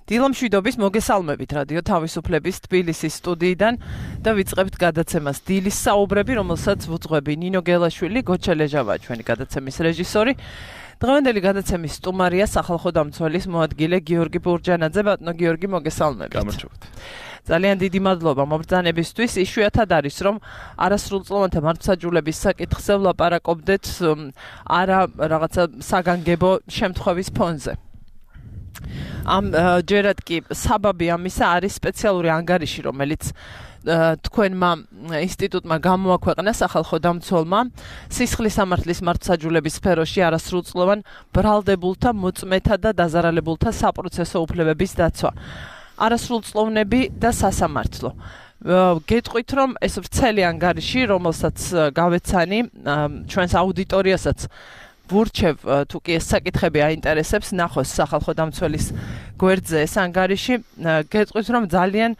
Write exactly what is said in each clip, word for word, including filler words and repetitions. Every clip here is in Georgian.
დილამშვიდობის მოგესალმებით რადიო თავისუფლების თბილისის სტუდიიდან და ვიწყებთ გადაცემას დილის საუბრები, რომელსაც ვუძღვები ნინო გელაშვილი, გოჩა ლეჟავა, ჩვენი გადაცემის რეჟისორი. დღევანდელი გადაცემის სტუმარია სახალხო დამცველის მოადგილე გიორგი ბურჯანაძე. ბატონო გიორგი, მოგესალმებით. გამარჯობთ. ძალიან დიდი მადლობა მობრძანებისთვის. იშვიათად არის, რომ არასრულწლოვანთა მართლმსაჯულების საკითხზე ვლაპარაკობდეთ არა რაღაცა საგანგებო შემთხვევის ფონზე. ამ ჯერად კი საბაბი ამისა არის სპეციალური ანგარიში, რომელიც თქვენმა ინსტიტუტმა გამოაქვეყნა სახალხო დამცველმა სისხლის სამართლის მართლმსაჯულების სფეროში არასრულწლოვან ბრალდებულთა, მოწმეთა და დაზარალებულთა საპროცესო უფლებების დაცვა. არასრულწლოვნები და სასამართლო. გეტყვით, რომ ეს ვრცელი ანგარიში, რომელსაც გავეცანი ჩვენს აუდიტორიასაც ვურჩევ, თუ კი ეს საკითხები აინტერესებს, ნახოს სახალხო დამცველის გვერდზე ეს ანგარიში. გეტყვით, რომ ძალიან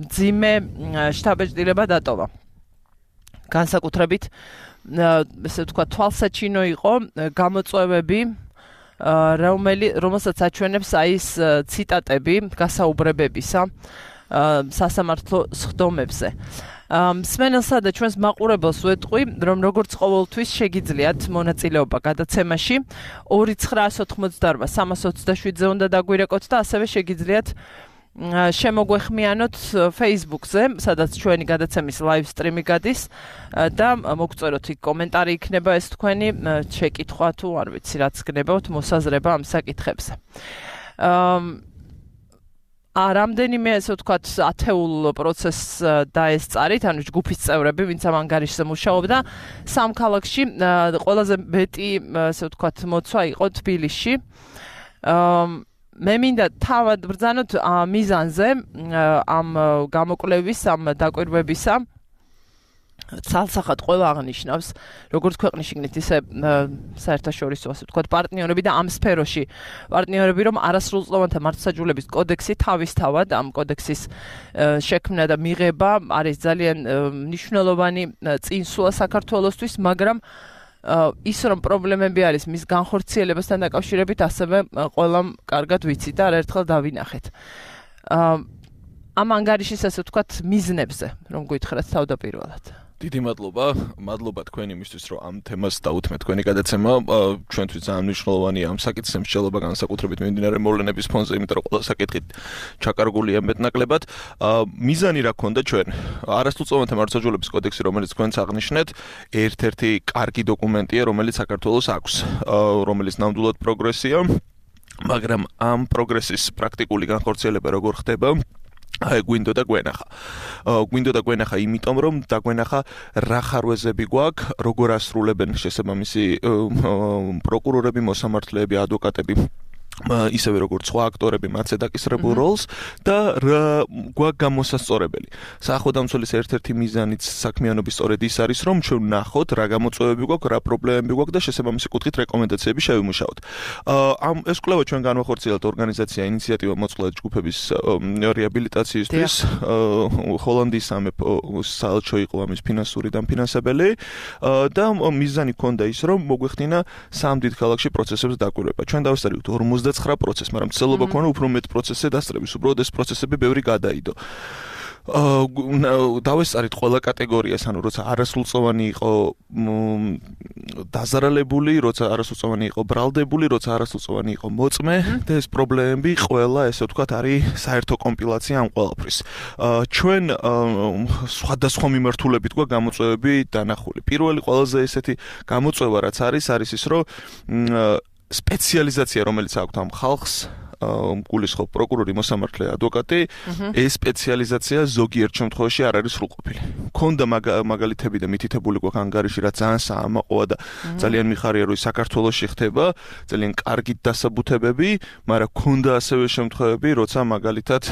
მძიმე შთაბეჭდილება დატოვა. განსაკუთრებით, ესე ვთქვა, თვალსაჩინო იყო გამოწვევები, რომელსაც აჩვენებს აი ეს ციტატები გასაუბრებებისა სასამართლო სხდომებზე. მსმენელსა და ჩვენს მაყურებელს ვეტყვი, რომ როგორც ყოველთვის შეგიძლიათ მონაწილეობა გადაცემაში ორი ცხრა ოთხმოცდაორმა სამას ოცდაშვიდზე უნდა დაგვირეკოთ და ასევე შეგიძლიათ შემოგვეხმიანოთ Facebook-ზე, სადაც ჩვენი გადაცემის live stream-ი გადის და მოგწეროთ იქ კომენტარი იქნება ეს თქვენი შეკითხვა თუ არ ვიცი რაც გნებავთ მოსაზრება ამ საკითხებზე. რამდენიმე ესე ვთქვათ ათეულ პროცესს დაესწარით, ანუ ჯგუფის წევრები, ვინც ამ ანგარიშზე მუშაობდა, სამ ქალაქში ყველაზე მეტი ესე ვთქვათ მოცვა იყო თბილისში. მე მინდა თავად ბრძანოთ მიზანზე ამ გამოკვლევის, ამ დაკვირვებისა. ცალსახად ყველა აღნიშნავს, როგორც ქვეყნის შიგნით, ისე საერთაშორისო, ასე ვთქვათ, პარტნიორები და ამ სფეროში პარტნიორები, რომ არასრულწლოვანთა მართლმსაჯულების კოდექსი თავისთავად ამ კოდექსის შექმნა და მიღება არის ძალიან მნიშვნელოვანი წინსვლა საქართველოსთვის, მაგრამ ის რომ პრობლემები არის მის განხორციელებასთან დაკავშირებით, ასევე ყველამ კარგად ვიცით და არაერთხელ დავინახეთ. ამ ანგარიშის, ასე ვთქვათ, მიზნებზე, რომ გითხრათ თავდაპირველად. დიდი მადლობა, მადლობა თქვენ იმისთვის, რომ ამ თემას დაუთმეთ თქვენი გადაცემა. ჩვენთვის ძალიან მნიშვნელოვანია ამ საკითხის მსჯელობა, განსაკუთრებით მიმდინარე მოვლენების ფონზე, იმიტომ რომ ყველა საკითხით ჩაკარგულია მეტნაკლებად. მიზანი რა ქონდა ჩვენ? არასრულწლოვანთა მართლმსაჯულების კოდექსი, რომელიც თქვენც აღნიშნეთ, ერთ-ერთი კარგი დოკუმენტია, რომელიც საქართველოს აქვს, რომელიც ნამდვილად პროგრესია, მაგრამ ამ პროგრესის პრაქტიკული განხორციელება როგორ ხდება? აი გვინდო და გვენახა. გვინდო და გვენახა იმიტომ, რომ დაგვენახა რა ხარვეზები გვაქვს, როგორ ასრულებენ შესაბამისი პროკურორები, მოსამართლეები, ადვოკატები, ისევე როგორც სხვა აქტორები მათზე დაკისრებულ როლს და რა გვაქვს გამოსასწორებელი. სახალხო დამცველის ერთ-ერთი მიზანიც საქმიანობის სწორედ ის არის, რომ ჩვენ ვნახოთ რა გამოწვევები გვაქვს, რა პრობლემები გვაქვს და შესაბამისი კუთხით რეკომენდაციები შევიმუშაოთ. ამ ეს კვლევა ჩვენ განვახორციელეთ ორგანიზაცია ინიციატივა მოწყვლადი ჯგუფების რეაბილიტაციისთვის. ჰოლანდიის სამეფო საელჩო იყო ამის ფინანსური დამფინანსებელი და მიზანი ჰქონდა ის, რომ მოგვეხდინა სამ დიდ ქალაქში პროცესებს დაკვირვება. ჩვენ დავესწრებით ორმოცდაცხრა პროცესს, მაგრამ ცდილობა ქონა უფრო მეტ პროცესზე დასწრების, უბრალოდ ეს პროცესები ბევრი გადაიდო. დავესწარით ყველა კატეგორიას, ანუ როცა არასრულწლოვანი იყო დაზარალებული, როცა არასრულწლოვანი იყო ბრალდებული, როცა არასრულწლოვანი იყო მოწმე და ეს პრობლემები ყველა, ესე ვთქვათ, არის საერთო კომპილაცია ამ ყველაფრის. ჩვენ სხვადასხვა მიმართულებით გვაქვს გამოწვევები დანახული. პირველი ყველაზე ესეთი გამოწვევა რაც არის, არის ის, რომ სპეციალიზაცია, რომელიც აქვს ამ ხალხს, გულისხმობ პროკურორი, მოსამართლე, ადვოკატი, ეს სპეციალიზაცია ზოგიერთ შემთხვევაში არ არის სრულყოფილი. ქონდა მაგალითები და მითითებული გვაქვს ანგარიში, რაც ძალიან საამაყოა და ძალიან მიხარია, რომ საქართველოში ხდება, ძალიან კარგი დასაბუთებები, მაგრამ ქონდა ასევე შემთხვევები, როცა მაგალითად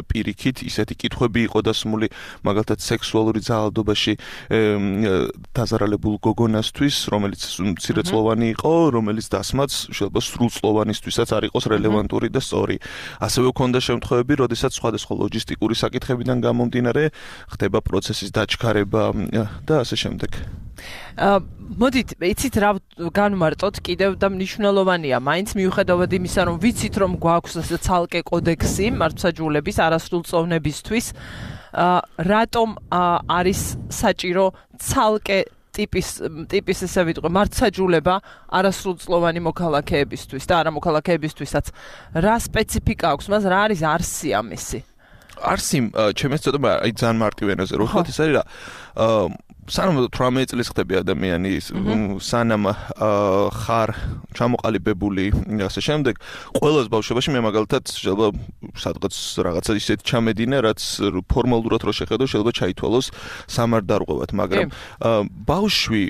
პირიქით ისეთი კითხვები იყო დასმული, მაგალითად სექსუალური ძალადობაში დაზარალებულ გოგონასთვის, რომელიც მცირეწლოვანი იყო, რომელიც დასმაც შეიძლება სრულწლოვანისთვისაც არ იყოს რელევანტური და სწორი. ასევე ქონდა შემთხვევები, როდესაც სხვადასხვა ლოჯისტიკური საკითხებიდან გამომდინარე ხდება პროცესის დაჩქარება და ასე შემდეგ. მოდით, იცით რა განვმარტოთ კიდევ და მნიშვნელოვანია, მაინც მიუხედავად იმისა, რომ ვიცით, რომ გვაქვს ასე ცალკე კოდექსი მართლმსაჯულების არასრულწლოვნებისთვის, რატომ არის საჭირო ცალკე ტიპის ტიპის ესე ვიტყვი მართლმსაჯულება არასრულწლოვანი მოქალაქეებისთვის და არა მოქალაქეებისთვისაც. რა სპეციფიკა აქვს მას, რა არის არსი ამისი? არსი, ჩემს ცოტა აი ძალიან მარტივ ენაზე რო ვთქვათ, ეს არის რა სანამ თვრამეტ წელს ხდები ადამიანი სანამ ხარ ჩამოყალიბებული ასე შემდეგ ყველას ბავშვობაში მე მაგალითად შეიძლება სადღაც რაღაცა ისეთ ჩამედინე რაც ფორმალურად რო შეხედო შეიძლება ჩაითვალოს სამარდარღვევად მაგრამ ბავშვი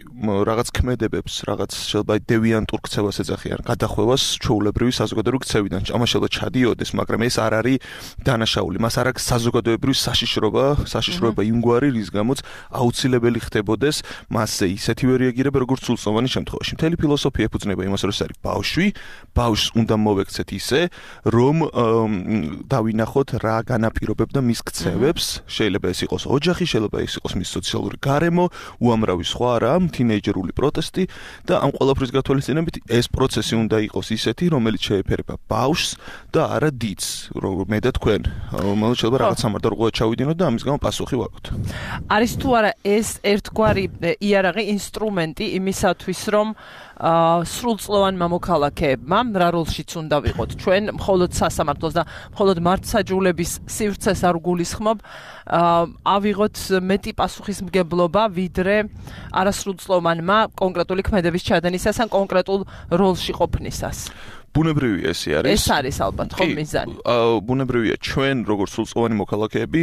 რაღაც ქმედებებს რაღაც შეიძლება დევიანტურ ქცევას ეძახიან გადახვევას ჩვეულებრივი საზოგადოებრივი ქცევიდან ამას შეიძლება ჩადიოდეს მაგრამ ეს არ არის დანაშაული მას არ აქვს საზოგადოებრივი საშიშრობა საშიშროება იმგვარი რის გამოც აუცილებელი ხდებოდეს მასზე ისეთივე რეაგირება როგორც სრულწლოვანი შემთხვევაში. მთელი ფილოსოფია ეფუძნება იმას, რომ ეს არის ბავშვი, ბავშვს უნდა მოვექცეთ ისე, რომ დავინახოთ რა განაპირობებდა მის ქცევებს, შეიძლება ეს იყოს ოჯახი, შეიძლება ეს იყოს მის სოციალური გარემო, უამრავი სხვა რამ, თინეიჯერული პროტესტი და ამ ყველაფრის გათვალისწინებით ეს პროცესი უნდა იყოს ისეთი, რომელიც შეეფერება ბავშვს და არა დიდს, რომ მე და თქვენ, რომელიც შეიძლება რაღაც სამარდარღვევად ჩავიდინოთ და ამის გამო პასუხი ვაგოთ. არის თუ არა ეს ერთგვარი იარაღი ინსტრუმენტი იმისათვის რომ სრულწლოვანმა მოქალაქეებმა რა როლშიც უნდა ვიყოთ ჩვენ მხოლოდ სასამართლოს და მხოლოდ მართლმსაჯულების სივრცეს არ გულისხმობ ავიღოთ მეტი პასუხისმგებლობა ვიდრე არასრულწლოვანმა კონკრეტული ქმედების ჩადენისას ან კონკრეტულ როლში ყოფნისას. ბუნებრივია ეს არის. ეს არის ალბათ ხო მიზანი. ბუნებრივია ჩვენ როგორც სრულწლოვანი მოქალაქეები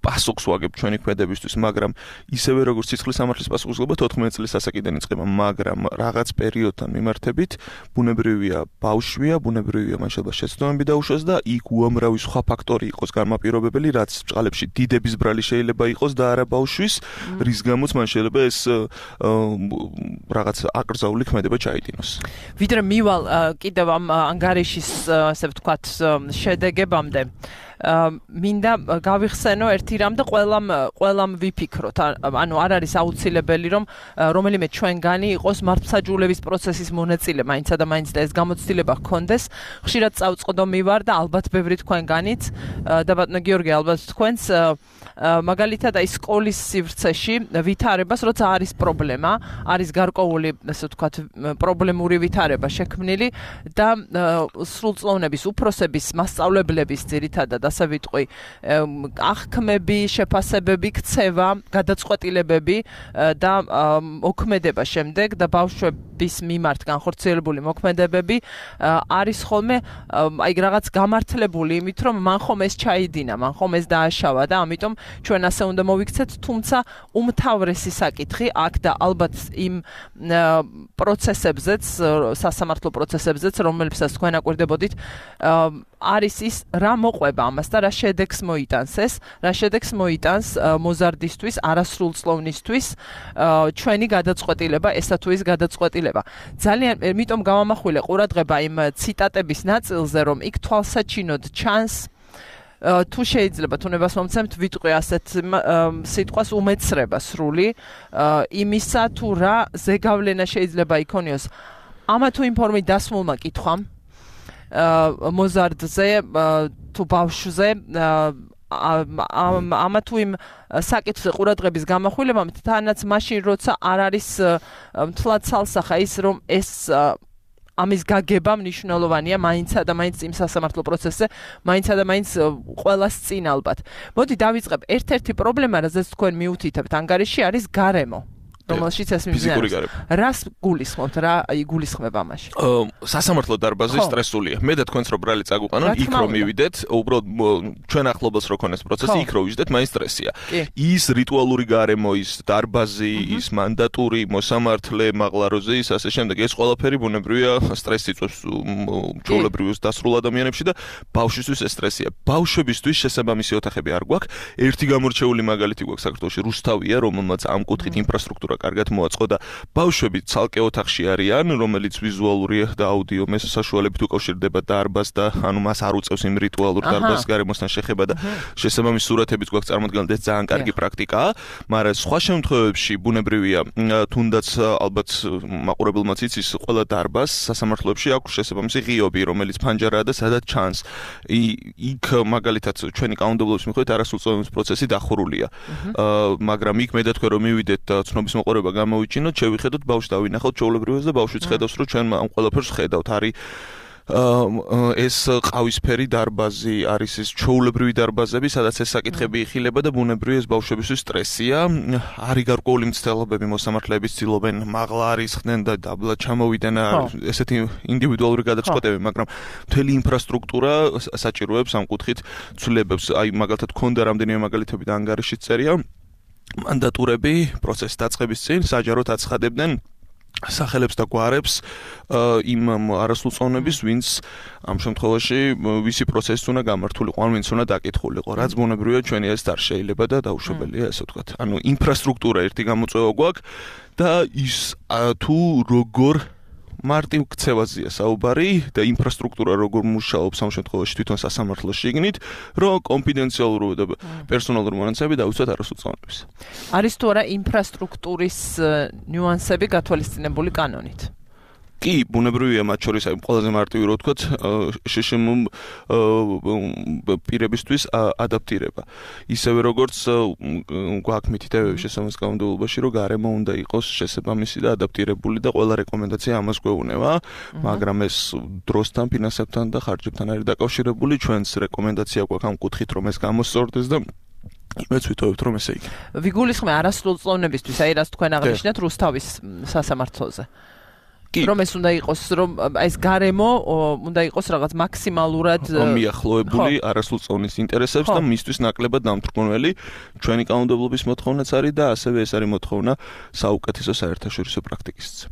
პასუხს ვაგებთ ჩვენი ქმედებისთვის, მაგრამ ისევე როგორც სიცხლის სამართლის პასუხისმგებლობა თოთხმეტ წლის ასაკიდან იწყება, მაგრამ რაღაც პერიოდთან მიმართებით ბუნებრივია ბავშვია, ბუნებრივია მან შეიძლება შეცდომები დაუშვას და იქ უამრავი სხვა ფაქტორი იყოს განმაპირობებელი, რაც ბჭყალებში დიდების ბრალი შეიძლება იყოს და არა ბავშვის, რის გამოც მან შეიძლება ეს რაღაც აკრძალული ქმედება ჩაიდინოს. ვიდრე მივალ კიდევ ამ ანგარიშის ასე ვთქვათ შედეგებამდე მინდა გავიხსენო ერთი რამ და ყველამ ყველამ ვიფიქროთ ანუ არ არის აუცილებელი რომ რომელიმე ჩვენგანი იყოს მართლმსაჯულების პროცესის მონაწილე მაინცა და მაინც და ეს გამოცდილება ჰქონდეს ხშირად წავწყდომი ვარ და ალბათ ბევრი თქვენგანიც და ბატონო გიორგი ალბათ თქვენს მაგალითად აი სკოლის სივრცეში ვითარებას როცა არის პრობლემა არის გარკვეული ასე ვთქვათ პრობლემური ვითარება შექმნილი და სრულწლოვნების უფროსების მასწავლებლების ძირითადად ასე ვიტყვი აღქმები, შეფასებები, ქცევა, გადაწყვეტილებები და მოქმედება შემდეგ და ბავშვების მიმართ განხორციელებული მოქმედებები არის ხოლმე აი რაღაც გამართლებული იმით რომ მან ხომ ეს ჩაიდინა, მან ხომ ეს დააშავა და ამიტომ ჩვენ ასე უნდა მოვიქცეთ, თუმცა უმთავრესი საკითხი აქ და ალბათ იმ პროცესებზეც, სასამართლო პროცესებზეც, რომლებსაც თქვენ აკვირდებოდით, არის ის რა მოყვება ამას და რა შედეგს მოიტანს ეს, რა შედეგს მოიტანს მოზარდისთვის, არასრულწლოვნისთვის ჩვენი გადაწყვეტილება, ესა თუ ის გადაწყვეტილება. ძალიან იმიტომ გავამახვილე ყურადღება იმ ციტატების ნაწილზე, რომ იქ თვალსაჩინოდ ჩანს თუ შეიძლება თუნებას მომცემთ ვიტყვი ასეთ სიტყვას უმეცრება სრული იმისა თუ რა ზეგავლენა შეიძლება იქონიოს ამა თუ იმ ფორმით დასმულმა კითხვამ მოზარდზე თუ ბავშვზე ამა თუ იმ საკითხზე ყურადღების გამახვილებამ თანაც მაშინ როცა არ არის მთლად ცალსახა ის რომ ეს ამის გაგება მნიშვნელოვანია მაინცა და მაინც იმ სასამართლო პროცესზე მაინცა და მაინც ყველას წინ ალბათ. მოდი დავიწყებ ერთ-ერთი პრობლემა რაზეც თქვენ მიუთითებთ ანგარიში არის გარემო. რომელშიც ეს მიმდინარეობს. რას გულისხმობთ, რა იგულისხმება ამაში? სასამართლო დარბაზი სტრესულია. მე და თქვენც რო ბრალი წაგუყანონ, იქ რო მივიდეთ, უბრალოდ ჩვენ ახლობელს რო ქონეს პროცესი, იქ რო ვიждეთ, მაინც სტრესია. ის რიტუალური გარემო, ის დარბაზი, ის მანდატური, მოსამართლე, მაღლაროზე, ის ასე შემდეგ, ეს ყველაფერი ბუნებრივია სტრესს იწვევს ჩვეულებრივ დასრულ ადამიანებში და ბავშვისთვის ეს სტრესია. ბავშვებისთვის შესაბამისი ოთახები არ გვაქვს. ერთი გამორჩეული მაგალითი გვაქვს საქართველოში, რუსთავია, რომელმაც ამ კუთხით ინფრასტრუქტურა ინფრასტრუქტურა კარგად მოაწყო და ბავშვები ცალკე ოთახში არიან, რომელიც ვიზუალური და აუდიო მესასაშუალებით უკავშირდება დარბაზს და ანუ მას არ უწევს იმ რიტუალურ დარბაზის გარემოსთან შეხება და შესაბამის სურათებიც გვაქვს წარმოდგენილი, ეს ძალიან კარგი პრაქტიკაა, მაგრამ სხვა შემთხვევებში ბუნებრივია, თუნდაც ალბათ მაყურებელმაც იცის, ყველა დარბაზს სასამართლოებში აქვს შესაბამისი ღიობი, რომელიც ფანჯარაა და სადაც ჩანს. იქ მაგალითად ჩვენი კანონმდებლობის მიხედვით არასრულწლოვანების პროცესი დახურულია. მაგრამ იქ მე და თქვენ რომ მივიდეთ და ცნობის მოყოლება გამოვიჩინოთ, შევიხედოთ ბავშვს დავინახოთ ჩვეულებრივად და ბავშვიც ხედავს, რომ ჩვენ ამ ყველაფერს ხედავთ. არის ეს ყავისფერი დარბაზი, არის ეს ჩვეულებრივი დარბაზები, სადაც ეს საკითხები იხილება და ბუნებრივია ეს ბავშვებისთვის სტრესია. არის გარკვეული მცდელობები, მოსამართლეები ცდილობენ მაღლა არისხდნენ და დაბლა ჩამოვიდნენ, ესეთი ინდივიდუალური გადაწყვეტები, მაგრამ მთელი ინფრასტრუქტურა საჭიროებს ამ კუთხით ცვლილებებს. აი მაგალითად ქონდა რამდენიმე მაგალითები და ანგარიშიც წერია. მანდატურები პროცესის დაწყების წინ საჯაროდ აცხადებდნენ სახელებს და გვარებს იმ არასრულწლოვნების, ვინც ამ შემთხვევაში ვისი პროცესი უნდა გამართულიყო, ან ვინც უნდა დაკითხულიყო. რაც ბუნებრივია ჩვენი ეს არ შეიძლება და დაუშვებელია, ასე ვთქვათ. ანუ ინფრასტრუქტურა ერთი გამოწვევა გვაქვს და ის თუ როგორ მარტივ ქცევაზეა საუბარი და ინფრასტრუქტურა როგორ მუშაობს ამ შემთხვევაში თვითონ სასამართლოს შიგნით, რომ კონფიდენციალურობა და პერსონალური მონაცემები დავიცვათ არასრულწლოვნების. არის თუ არა ინფრასტრუქტურის ნიუანსები გათვალისწინებული კანონით? კი, ბუნებრივია მათ შორის აი ყველაზე მარტივი რო ვთქვათ, შშმ პირებისთვის ადაპტირება. ისევე როგორც გვაქვს მითითებები შესაბამის კანონმდებლობაში, რომ გარემო უნდა იყოს შესაბამისი და ადაპტირებული და ყველა რეკომენდაცია ამას გვეუბნება, მაგრამ ეს დროსთან, ფინანსებთან და ხარჯებთან არის დაკავშირებული. ჩვენს რეკომენდაცია გვაქვს ამ კუთხით, რომ ეს გამოსწორდეს და იმეც ვიტოვებთ, რომ ესე იქნება. ვიგულისხმე არასრულწლოვნებისთვის, აი რას თქვენ აღნიშნეთ რუსთავის სასამართლოზე. რომ ეს უნდა იყოს, რომ ეს გარემო უნდა იყოს რაღაც მაქსიმალურად მიახლოებული არასრულწლოვნის ინტერესებს და მისთვის ნაკლებად დამთვრგონელი. ჩვენი კანონმდებლობის მოთხოვნაც არის და ასევე ეს არის მოთხოვნა საუკეთესო საერთაშორისო პრაქტიკისიც.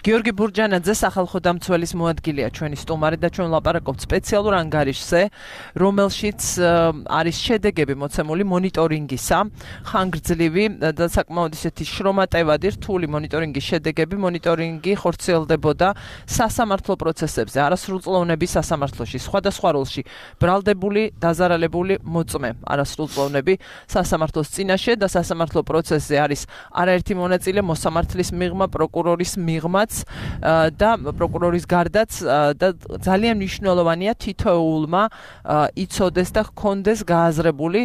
გიორგი ბურჯანაძე სახალხო დამცველის მოადგილეა ჩვენი სტუმარი და ჩვენ ვლაპარაკობთ სპეციალურ ანგარიშზე, რომელშიც არის შედეგები მოცემული მონიტორინგისა, ხანგრძლივი და საკმაოდ ისეთი შრომატევადი რთული მონიტორინგის შედეგები. მონიტორინგი ხორციელდებოდა სასამართლო პროცესებზე, არასრულწლოვნების სასამართლოში, სხვადასხვა როლში ბრალდებული, დაზარალებული მოწმე არასრულწლოვნები სასამართლოს წინაშე და სასამართლო პროცესზე არის არაერთი მონაწილე, მოსამართლის მიღმა, პროკურორის მიღმაც და პროკურორის გარდაც და ძალიან მნიშვნელოვანია თითოეულმა იცოდეს და ჰქონდეს გააზრებული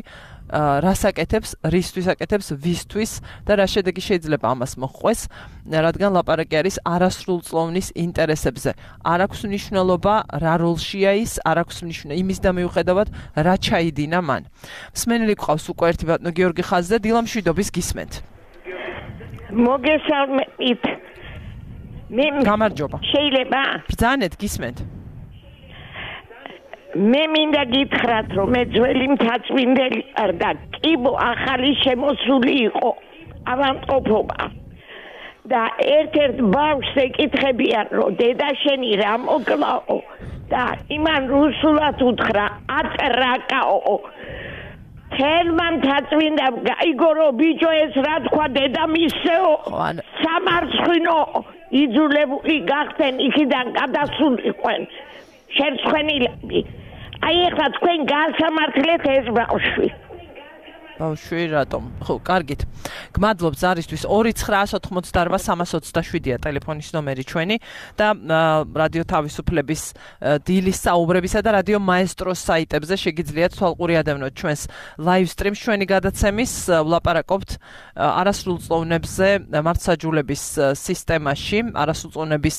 რასაკეთებს, რისთვის აკეთებს, ვისთვის და რა შედეგი შეიძლება ამას მოჰყვეს, რადგან ლაპარაკი არის არასრულწლოვნის ინტერესებზე. არ აქვს მნიშვნელობა რა როლშია ის, არ აქვს მნიშვნელობა იმის და მიუხედავად რა ჩაიდინა მან. მსმენელი გვყავს უკვე ერთი ბატონო გიორგი ხაზზე, დილამშვიდობის გისმენთ. მოგესალმებით. მე გამარჯობა. შეიძლება ბრძანეთ გისმენთ. მე მინდა გითხრათ, რომ მე ძველი მთაწმინდელი არ და კიბო ახალი შემოსული იყო ავადმყოფობა. და ერთ-ერთ ბავშვს ეკითხებიან, რომ დედა შენი რა მოკლაო და იმან რუსულად უთხრა ატრაკაო. თელმა მთაწმინდა გაიგო, ბიჭო ეს რა თქვა დედამისეო, სამარცხვინო იძულებული გახდნენ იქიდან გადასულიყვენ შერცხვენილები. აი ეხლა თქვენ გასამართლეთ ეს ბავშვი. ბავშვი რატომ? ხო, კარგით. გმადლობთ ზარისთვის. ორი ცხრა ოთხმოცდაოთხ სამას ოცდაშვიდია ტელეფონის ნომერი ჩვენი და რადიო თავისუფლების დილის საუბრებისა და რადიო მაესტროს საიტებზე შეგიძლიათ თვალყური ადევნოთ ჩვენს live stream-ს ჩვენი გადაცემის. ვლაპარაკობთ არასრულწლოვნებზე მართლმსაჯულების სისტემაში, არასრულწლოვნების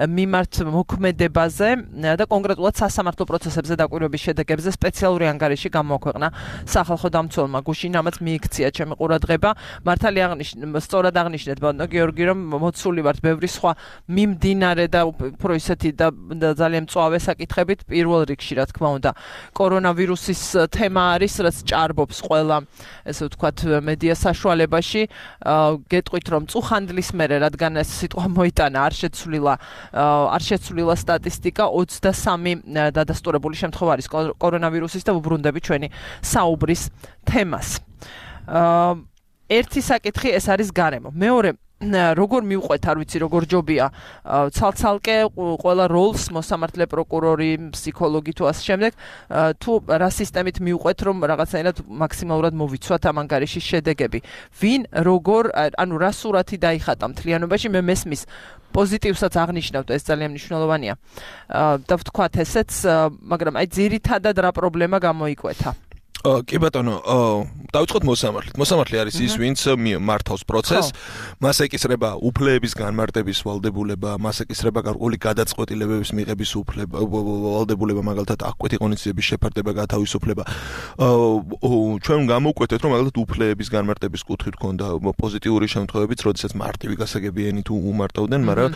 მიმართ მოქმედებაზე და კონკრეტულად სასამართლო პროცესებზე დაკვირვების შედეგებზე სპეციალური ანგარიში გამოაქვეყნა სახალხო დამცველმა გუშინ, ამაც მიიქცია ჩემი ყურადღება. მართალია აღნიშნეთ, სწორად აღნიშნეთ ბატონო გიორგი, რომ მოცული ვართ ბევრი სხვა მიმდინარე და უფრო ისეთი და ძალიან მწვავე საკითხებით, პირველ რიგში რა თქმა უნდა კორონავირუსის თემა არის, რაც ჭარბობს ყველა, ესე ვთქვათ, მედია საშუალებაში. გეტყვით, რომ წუხანდლის მერე, რადგან ეს სიტყვა მოიტანა, არ შეცვლილა არ შეცვლილა სტატისტიკა, ოცდასამი დადასტურებული შემთხვევა არის კორონავირუსის და ვუბრუნდები ჩვენი საუბრის თემას. ერთი საკითხი ეს არის გარემო. მეორე როგორ მივყვეთ, არ ვიცი, როგორ ჯობია ცალ-ცალკე ყველა როლს მოსამართლე პროკურორი, ფსიქოლოგი თუ ასე შემდეგ, თუ რა სისტემით მივყვეთ, რომ რაღაცაირად მაქსიმალურად მოვიცვათ ამ ანგარიშის შედეგები. ვინ როგორ, ანუ რა სურათი დაიხატა მთლიანობაში, მე მესმის პოზიტივსაც აღნიშნავთ, ეს ძალიან მნიშვნელოვანია. და ვთქვათ ესეც, მაგრამ აი ძირითადად რა პრობლემა გამოიკვეთა? კი ბატონო, დავიწყოთ მოსამართლით. მოსამართლე არის ის, ვინც მართავს პროცესს, მას ეკისრება უფლებების განმარტების ვალდებულება, მას ეკისრება გარკვეული გადაწყვეტილებების მიღების უფლება, ვალდებულება, მაგალითად, აღკვეთი ღონისძიების შეფარდება, გათავისუფლება. ჩვენ გამოვკვეთეთ, რომ მაგალითად უფლებების განმარტების კუთხით ჰქონდა პოზიტიური შემთხვევებიც, როდესაც მარტივი გასაგებიანი თუ უმარტავდნენ, მაგრამ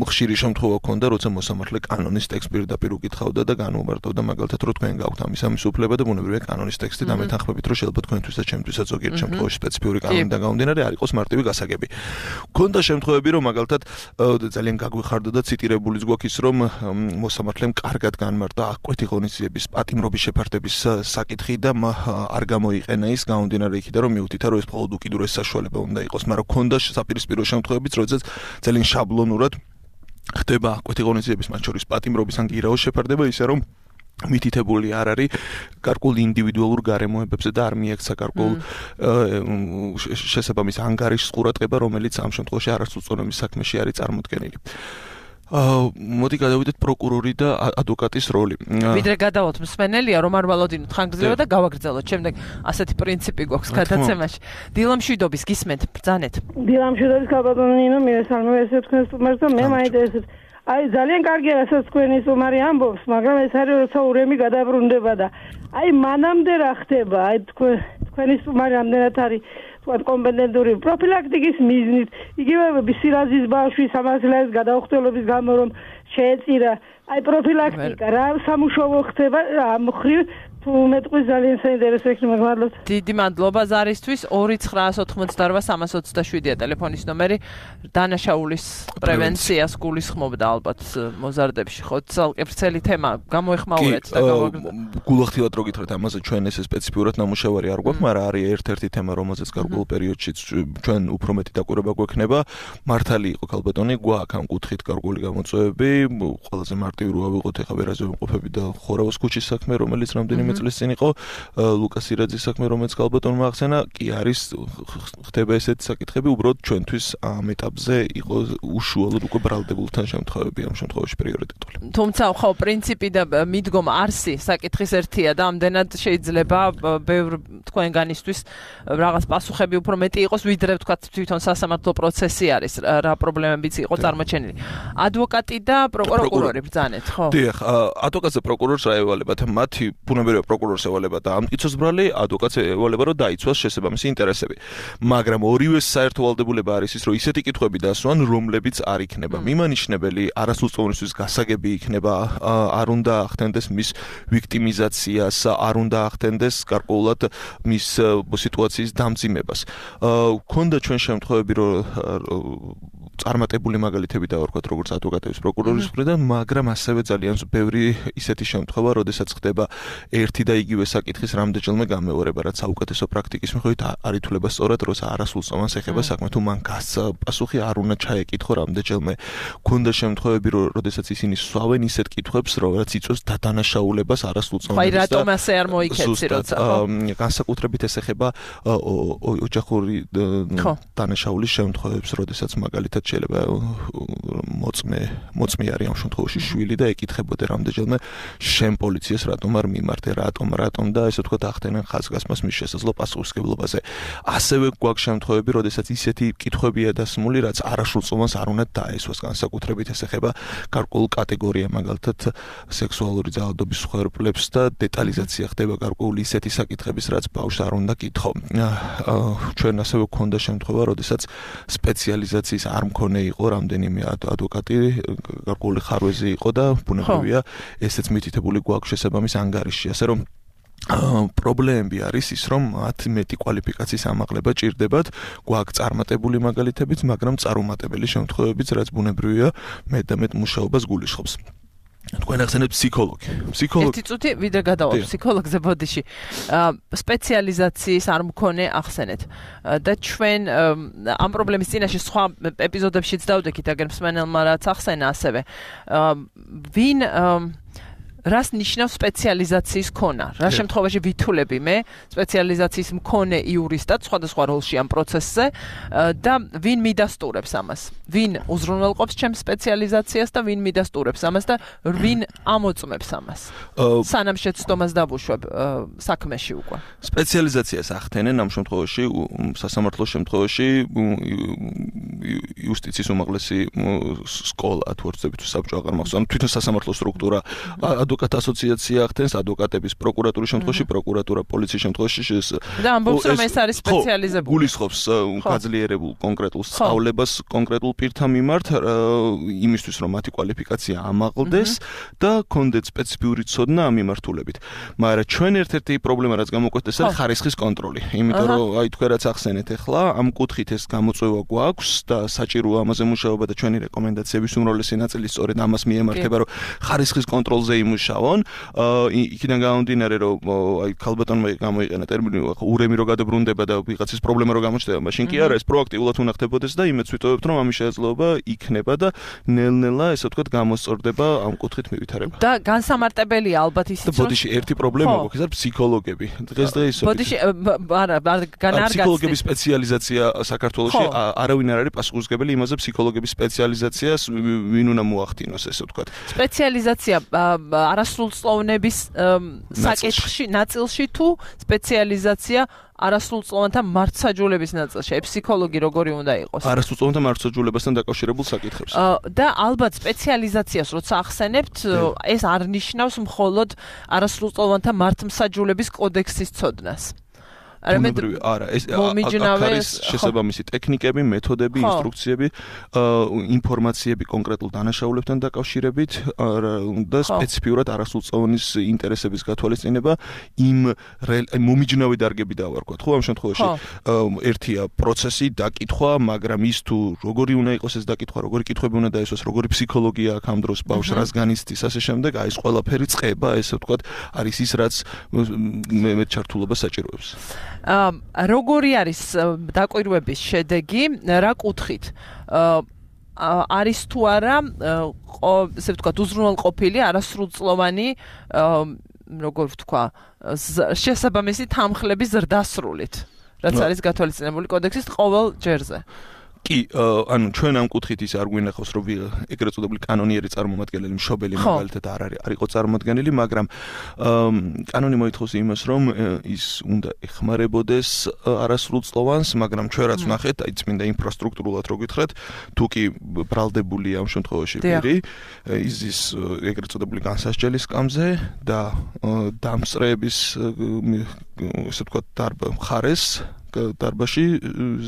ხშირი შემთხვევა ჰქონდა, როცა მოსამართლე კანონის ტექსტს პირდაპირ უკითხავდა და განუმარტავდა, მაგალითად, რომ თქვენ გაქვთ ამის ამის უფლება და ბუნებრივია კანონის ტექსტი დამეთანხმებით, რომ შეიძლება თქვენთვისაც, ჩემთვისაც ზოგიერთ შემთხვევაში სპეციფიური კანონიდან გამომდინარე არ იყოს მარტივი გასაგები. ქონდა შემთხვევები, რომ მაგალითად ძალიან გაგვიხარდა და ციტირებულიც გვაქვს ის, რომ მოსამართლემ კარგად განმარტა აღკვეთი ღონისძიების პატიმრობის შეფარდების საკითხი და არ გამოიყენა ის გამომდინარე იქიდან, რომ მიუთითა, რომ ეს მხოლოდ უკიდურეს საშუალება უნდა იყოს, მაგრამ ქონდა საპირისპირო შემთხვევებიც, როდესაც ძალიან შაბლონურად ხდება აღკვეთი ღონისძიების, მათ შორის პატიმრობის ან გირაოს შეფარდება, ისე რომ მითითებული არ არის გარკვეულ ინდივიდუალურ გარემოებებზე და არ მიექცა გარკვეულ შესაბამის ანგარიშის ყურადღება, რომელიც ამ შემთხვევაში არასრულწლოვანების საქმეში არის წარმოდგენილი. მოდი გადავიდეთ პროკურორი და ადვოკატის როლი. ვიდრე გადავალთ მსმენელია, რომ არ ვალოდინოთ ხანგრძლივად და გავაგრძელოთ. შემდეგ ასეთი პრინციპი გვაქვს გადაცემაში. დილამშვიდობის გისმენთ, ბრძანეთ. დილამშვიდობის ქალბატონინო, მირესალმე ესე თქვენ სტუმარს და მე მაინტერესებს. აი ძალიან კარგია რასაც თქვენი სტუმარი ამბობს, მაგრამ ეს არის როცა ურემი გადაბრუნდება და აი მანამდე რა ხდება? აი თქვენ თქვენი სტუმარი ამდენად არის თქვა კომპეტენტური პროფილაქტიკის მიზნით, იგივე სირაზის ბავშვის სამართლის გადაუხდელობის გამო რომ შეეწირა, აი პროფილაქტიკა რა სამუშაო ხდება ამ ხრივ თუ მეტყვის ძალიან საინტერესო იქნება, მადლობთ. დიდი მადლობა ზარისთვის. ორი ცხრაას ოთხმოცდაორვა სამას ოცდაშვიდია ტელეფონის ნომერი. დანაშაულის პრევენციას გულისხმობდა ალბათ მოზარდებში. ხო, ცალკე ვრცელი თემა გამოეხმაურეთ და გავაგრძელოთ. გულახდილად რო გითხრათ, ამაზე ჩვენ ესე სპეციფიურად ნამუშევარი არ გვაქვს, მაგრამ არის ერთ-ერთი თემა, რომელზეც გარკვეულ პერიოდში ჩვენ უფრო მეტი დაკვირვება გვექნება. მართალი იყო ქალბატონი, გვაქვს ამ კუთხით გარკვეული გამოწვევები. ყველაზე მარტივი რო ავიღოთ, ეხლა ვერაზე ვიმყოფები და ხორავის ქუჩის საქმე, რომელიც რამდენიმე წლის წინ იყო, ლუკას ირაძის საქმე, რომელიც ქალბატონმა ახსენა, კი არის ხდება ესეთი საკითხები, უბრალოდ ჩვენთვის ამ ეტაპზე იყო უშუალოდ უკვე ბრალდებულთან შემთხვევები ამ შემთხვევაში პრიორიტეტული. თუმცა ხო პრინციპი და მიდგომა არსი საკითხის ერთია და ამდენად შეიძლება ბევრ თქვენგანისთვის რაღაც პასუხები უფრო მეტი იყოს, ვიდრე თქვა თვითონ სასამართლო პროცესი არის, რა პრობლემებიც იყო წარმოჩენილი. ადვოკატი და პროკურორი ბრძანეთ, ხო? დიახ, ადვოკატს და პროკურორს რა ევალებათ? მათი ბუნებრივია პროკურორს ევალება და ამტკიცოს ბრალი, ადვოკატს ევალება, რომ დაიცვას შესაბამისი ინტერესები. მაგრამ ორივეს საერთო ვალდებულება არის ის, რომ ისეთი კითხვები დასვან, რომლებიც არ იქნება მიმანიშნებელი, არასრულწლოვანისთვის გასაგები იქნება, არ უნდა ახდენდეს მის ვიქტიმიზაციას, არ უნდა ახდენდეს გარკვეულად მის სიტუაციის დამძიმებას. ქონდა ჩვენ შემთხვევები, რომ წარმატებული მაგალითები დავარქვათ, როგორც ადვოკატების პროკურორის მხრიდან, მაგრამ ასევე ძალიან ბევრი ისეთი შემთხვევა, როდესაც ხდება ერთი და იგივე საკითხის რამდენჯერმე გამეორება, რაც საუკეთესო პრაქტიკის მიხედვით არ ითვლება სწორად, როცა არასრულწლოვანს ეხება საქმე, თუ მან გასცა პასუხი არ უნდა ჩაეკითხო რამდენჯერმე. ქონდა შემთხვევები, როდესაც ისინი სვავენ ისეთ კითხვებს, რაც იწვევს დადანაშაულებას არასრულწლოვანს. აი რატომ ასე არ მოიქეცი, როცა განსაკუთრებით ეს ეხება ოჯახური დანაშაულის შემთხვევებს, როდესაც მაგალითად შეიძლება მოწმე მოწმე არის ამ შემთხვევაში შვილი და ეკითხებოდა რამდენჯერმე შენ პოლიციას რატომ არ მიმართე, რატომ რატომ და ესე ვთქვათ ახდენენ ხაზგასმას მის შესაძლო პასუხისმგებლობაზე. ასევე გვაქვს შემთხვევები, როდესაც ისეთი კითხვებია დასმული, რაც არასრულწლოვანს არ უნდა დაესვას, განსაკუთრებით ეს ეხება გარკვეულ კატეგორია, მაგალითად სექსუალური ძალადობის მსხვერპლებს და დეტალიზაცია ხდება გარკვეული ისეთი საკითხების, რაც ბავშვს არ უნდა კითხო. ჩვენ ასევე გვქონდა შემთხვევა, როდესაც სპეციალიზაციის არ მქონე იყო რამდენიმე ადვოკატი, გარკვეული ხარვეზი იყო და ბუნებრივია ესეც მითითებული გვაქვს შესაბამის ანგარიში, ასე რომ პრობლემები არის ის, რომ მათ მეტი კვალიფიკაციის ამაღლება ჭირდებათ, გვაქვს წარმატებული მაგალითებიც, მაგრამ წარუმატებელი შემთხვევებიც, რაც ბუნებრივია მეტ და მეტ მუშაობას გულისხმობს. თქვენ ახსენეთ ფსიქოლოგი. ფსიქოლოგი. ერთი წუთი ვიდრე გადავალ ფსიქოლოგზე ბოდიში. სპეციალიზაციის არ მქონე ახსენეთ. და ჩვენ ამ პრობლემის წინაშე სხვა ეპიზოდებშიც დავდექით, აგერ მსმენელმა რაც ახსენა ასევე. ვინ რას ნიშნავს სპეციალიზაციის ქონა? რა შემთხვევაში ვითვლები მე სპეციალიზაციის მქონე იურისტად სხვადასხვა როლში ამ პროცესზე და ვინ მიდასტურებს ამას? ვინ უზრუნველყოფს ჩემს სპეციალიზაციას და ვინ მიდასტურებს ამას და ვინ ამოწმებს ამას? სანამ შეცდომას დავუშვებ საქმეში უკვე. სპეციალიზაციას ახდენენ ამ შემთხვევაში სასამართლოს შემთხვევაში იუსტიციის უმაღლესი სკოლა თუ ვერცდებით საბჭო აღარ მახსოვს. ანუ თვითონ სასამართლო სტრუქტურა ადვოკატ ასოციაცია ახდენს, ადვოკატების პროკურატურის შემთხვევაში, პროკურატურა პოლიციის შემთხვევაში და ამბობს რომ ეს არის სპეციალიზებული. გულისხმობს გაძლიერებულ კონკრეტულ სწავლებას კონკრეტულ პირთა მიმართ, იმისთვის რომ მათი კვალიფიკაცია ამაღლდეს და კონდეთ სპეციფიური ცოდნა ამ მიმართულებით. მაგრამ ჩვენ ერთ-ერთი პრობლემა რაც გამოგვექცეს არის ხარისხის კონტროლი. იმიტომ რომ აი თქვენ რაც ახსენეთ ახლა, ამ კუთხით ეს გამოწვევა გვაქვს და საჭიროა ამაზე მუშაობა და ჩვენი რეკომენდაციების უმრავლესი ნაწილი სწორედ ამას მიემართება, რომ ხარისხის კონტროლზე იმუშავონ. იქიდან გამომდინარე, რომ აი ქალბატონმა გამოიყენა ტერმინი ურემი რო გადაბრუნდება და ვიღაცის პრობლემა რო გამოჩნდება, მაშინ კი არა, ეს პროაქტიულად უნახდებოდეს და იმედს ვიტოვებთ, რომ ამის შესაძლებლობა იქნება და ნელ-ნელა ესე ვთქვათ გამოსწორდება ამ კუთხით მივითხარება. და განსამარტებელია ალბათ ისიც რომ ბოდიში ერთი პრობლემა გვაქვს, ეს არის ფსიქოლოგები. დღესდღეობით ბოდიში არა, განარგაცდე. ფსიქოლოგების სპეციალიზაცია საქართველოში არავინ არ არის პასუხისმგებელი იმაზე ფსიქოლოგების სპეციალიზაციას ვინ უნდა მოახდინოს ესე ვთქვათ. სპეციალიზაცია არასრულწლოვნების საკითხში ნაწილში თუ სპეციალიზაცია არასრულწლოვანთა მართლმსაჯულების ნაწილში, ფსიქოლოგი როგორი უნდა იყოს? არასრულწლოვანთა მართლმსაჯულებასთან დაკავშირებულ საკითხებს. და ალბათ სპეციალიზაციას როცა ახსენებთ, ეს არ ნიშნავს მხოლოდ არასრულწლოვანთა მართლმსაჯულების კოდექსის ცოდნას. არამედ არა, ეს არის შესაბამისი ტექნიკები, მეთოდები, ინსტრუქციები, ინფორმაციები კონკრეტულ დანაშაულებთან დაკავშირებით და სპეციფიურად არასრულწლოვანის ინტერესების გათვალისწინება იმ მომიჯნავი დარგები დავარქვათ, ხო, ამ შემთხვევაში ერთია პროცესი, დაკითხვა, მაგრამ ის თუ როგორი უნდა იყოს ეს დაკითხვა, როგორი კითხვები უნდა დაესვას, როგორი ფსიქოლოგია აქვს ამ დროს ბავშვს, რას განიცდის, ასე შემდეგ, აი ეს ყველაფერი წყება, ესე ვთქვათ, არის ის, რაც მე ჩართულობას საჭიროებს. როგორი არის დაკვირვების შედეგი, რა კუთხით? არის თუ არა, ესე ვთქვათ, უზრუნველყოფილი არასრულწლოვანი, როგორ ვთქვა, შესაბამისი თანხლების ზრდასრულით, რაც არის გათვალისწინებული კოდექსის ყოველ ჯერზე. კი, ანუ ჩვენ ამ კუთხით ის არ გვინახავს, რომ ეგრეთ წოდებული კანონიერი წარმომადგენელი, მშობელი მაგალითად არ არის, არ იყო წარმოადგენელი, მაგრამ კანონი მოითხოვს იმას, რომ ის უნდა ეხმარებოდეს არასრულწლოვანს, მაგრამ ჩვენ რაც ვნახეთ, აი წმინდა ინფრასტრუქტურულად რო გითხრათ, თუ კი ბრალდებულია ამ შემთხვევაში პირი, იზის ეგრეთ წოდებული განსასჯელი სკამზე და დამსწრეების ესე ვთქვათ დარბა მხარეს დარბაში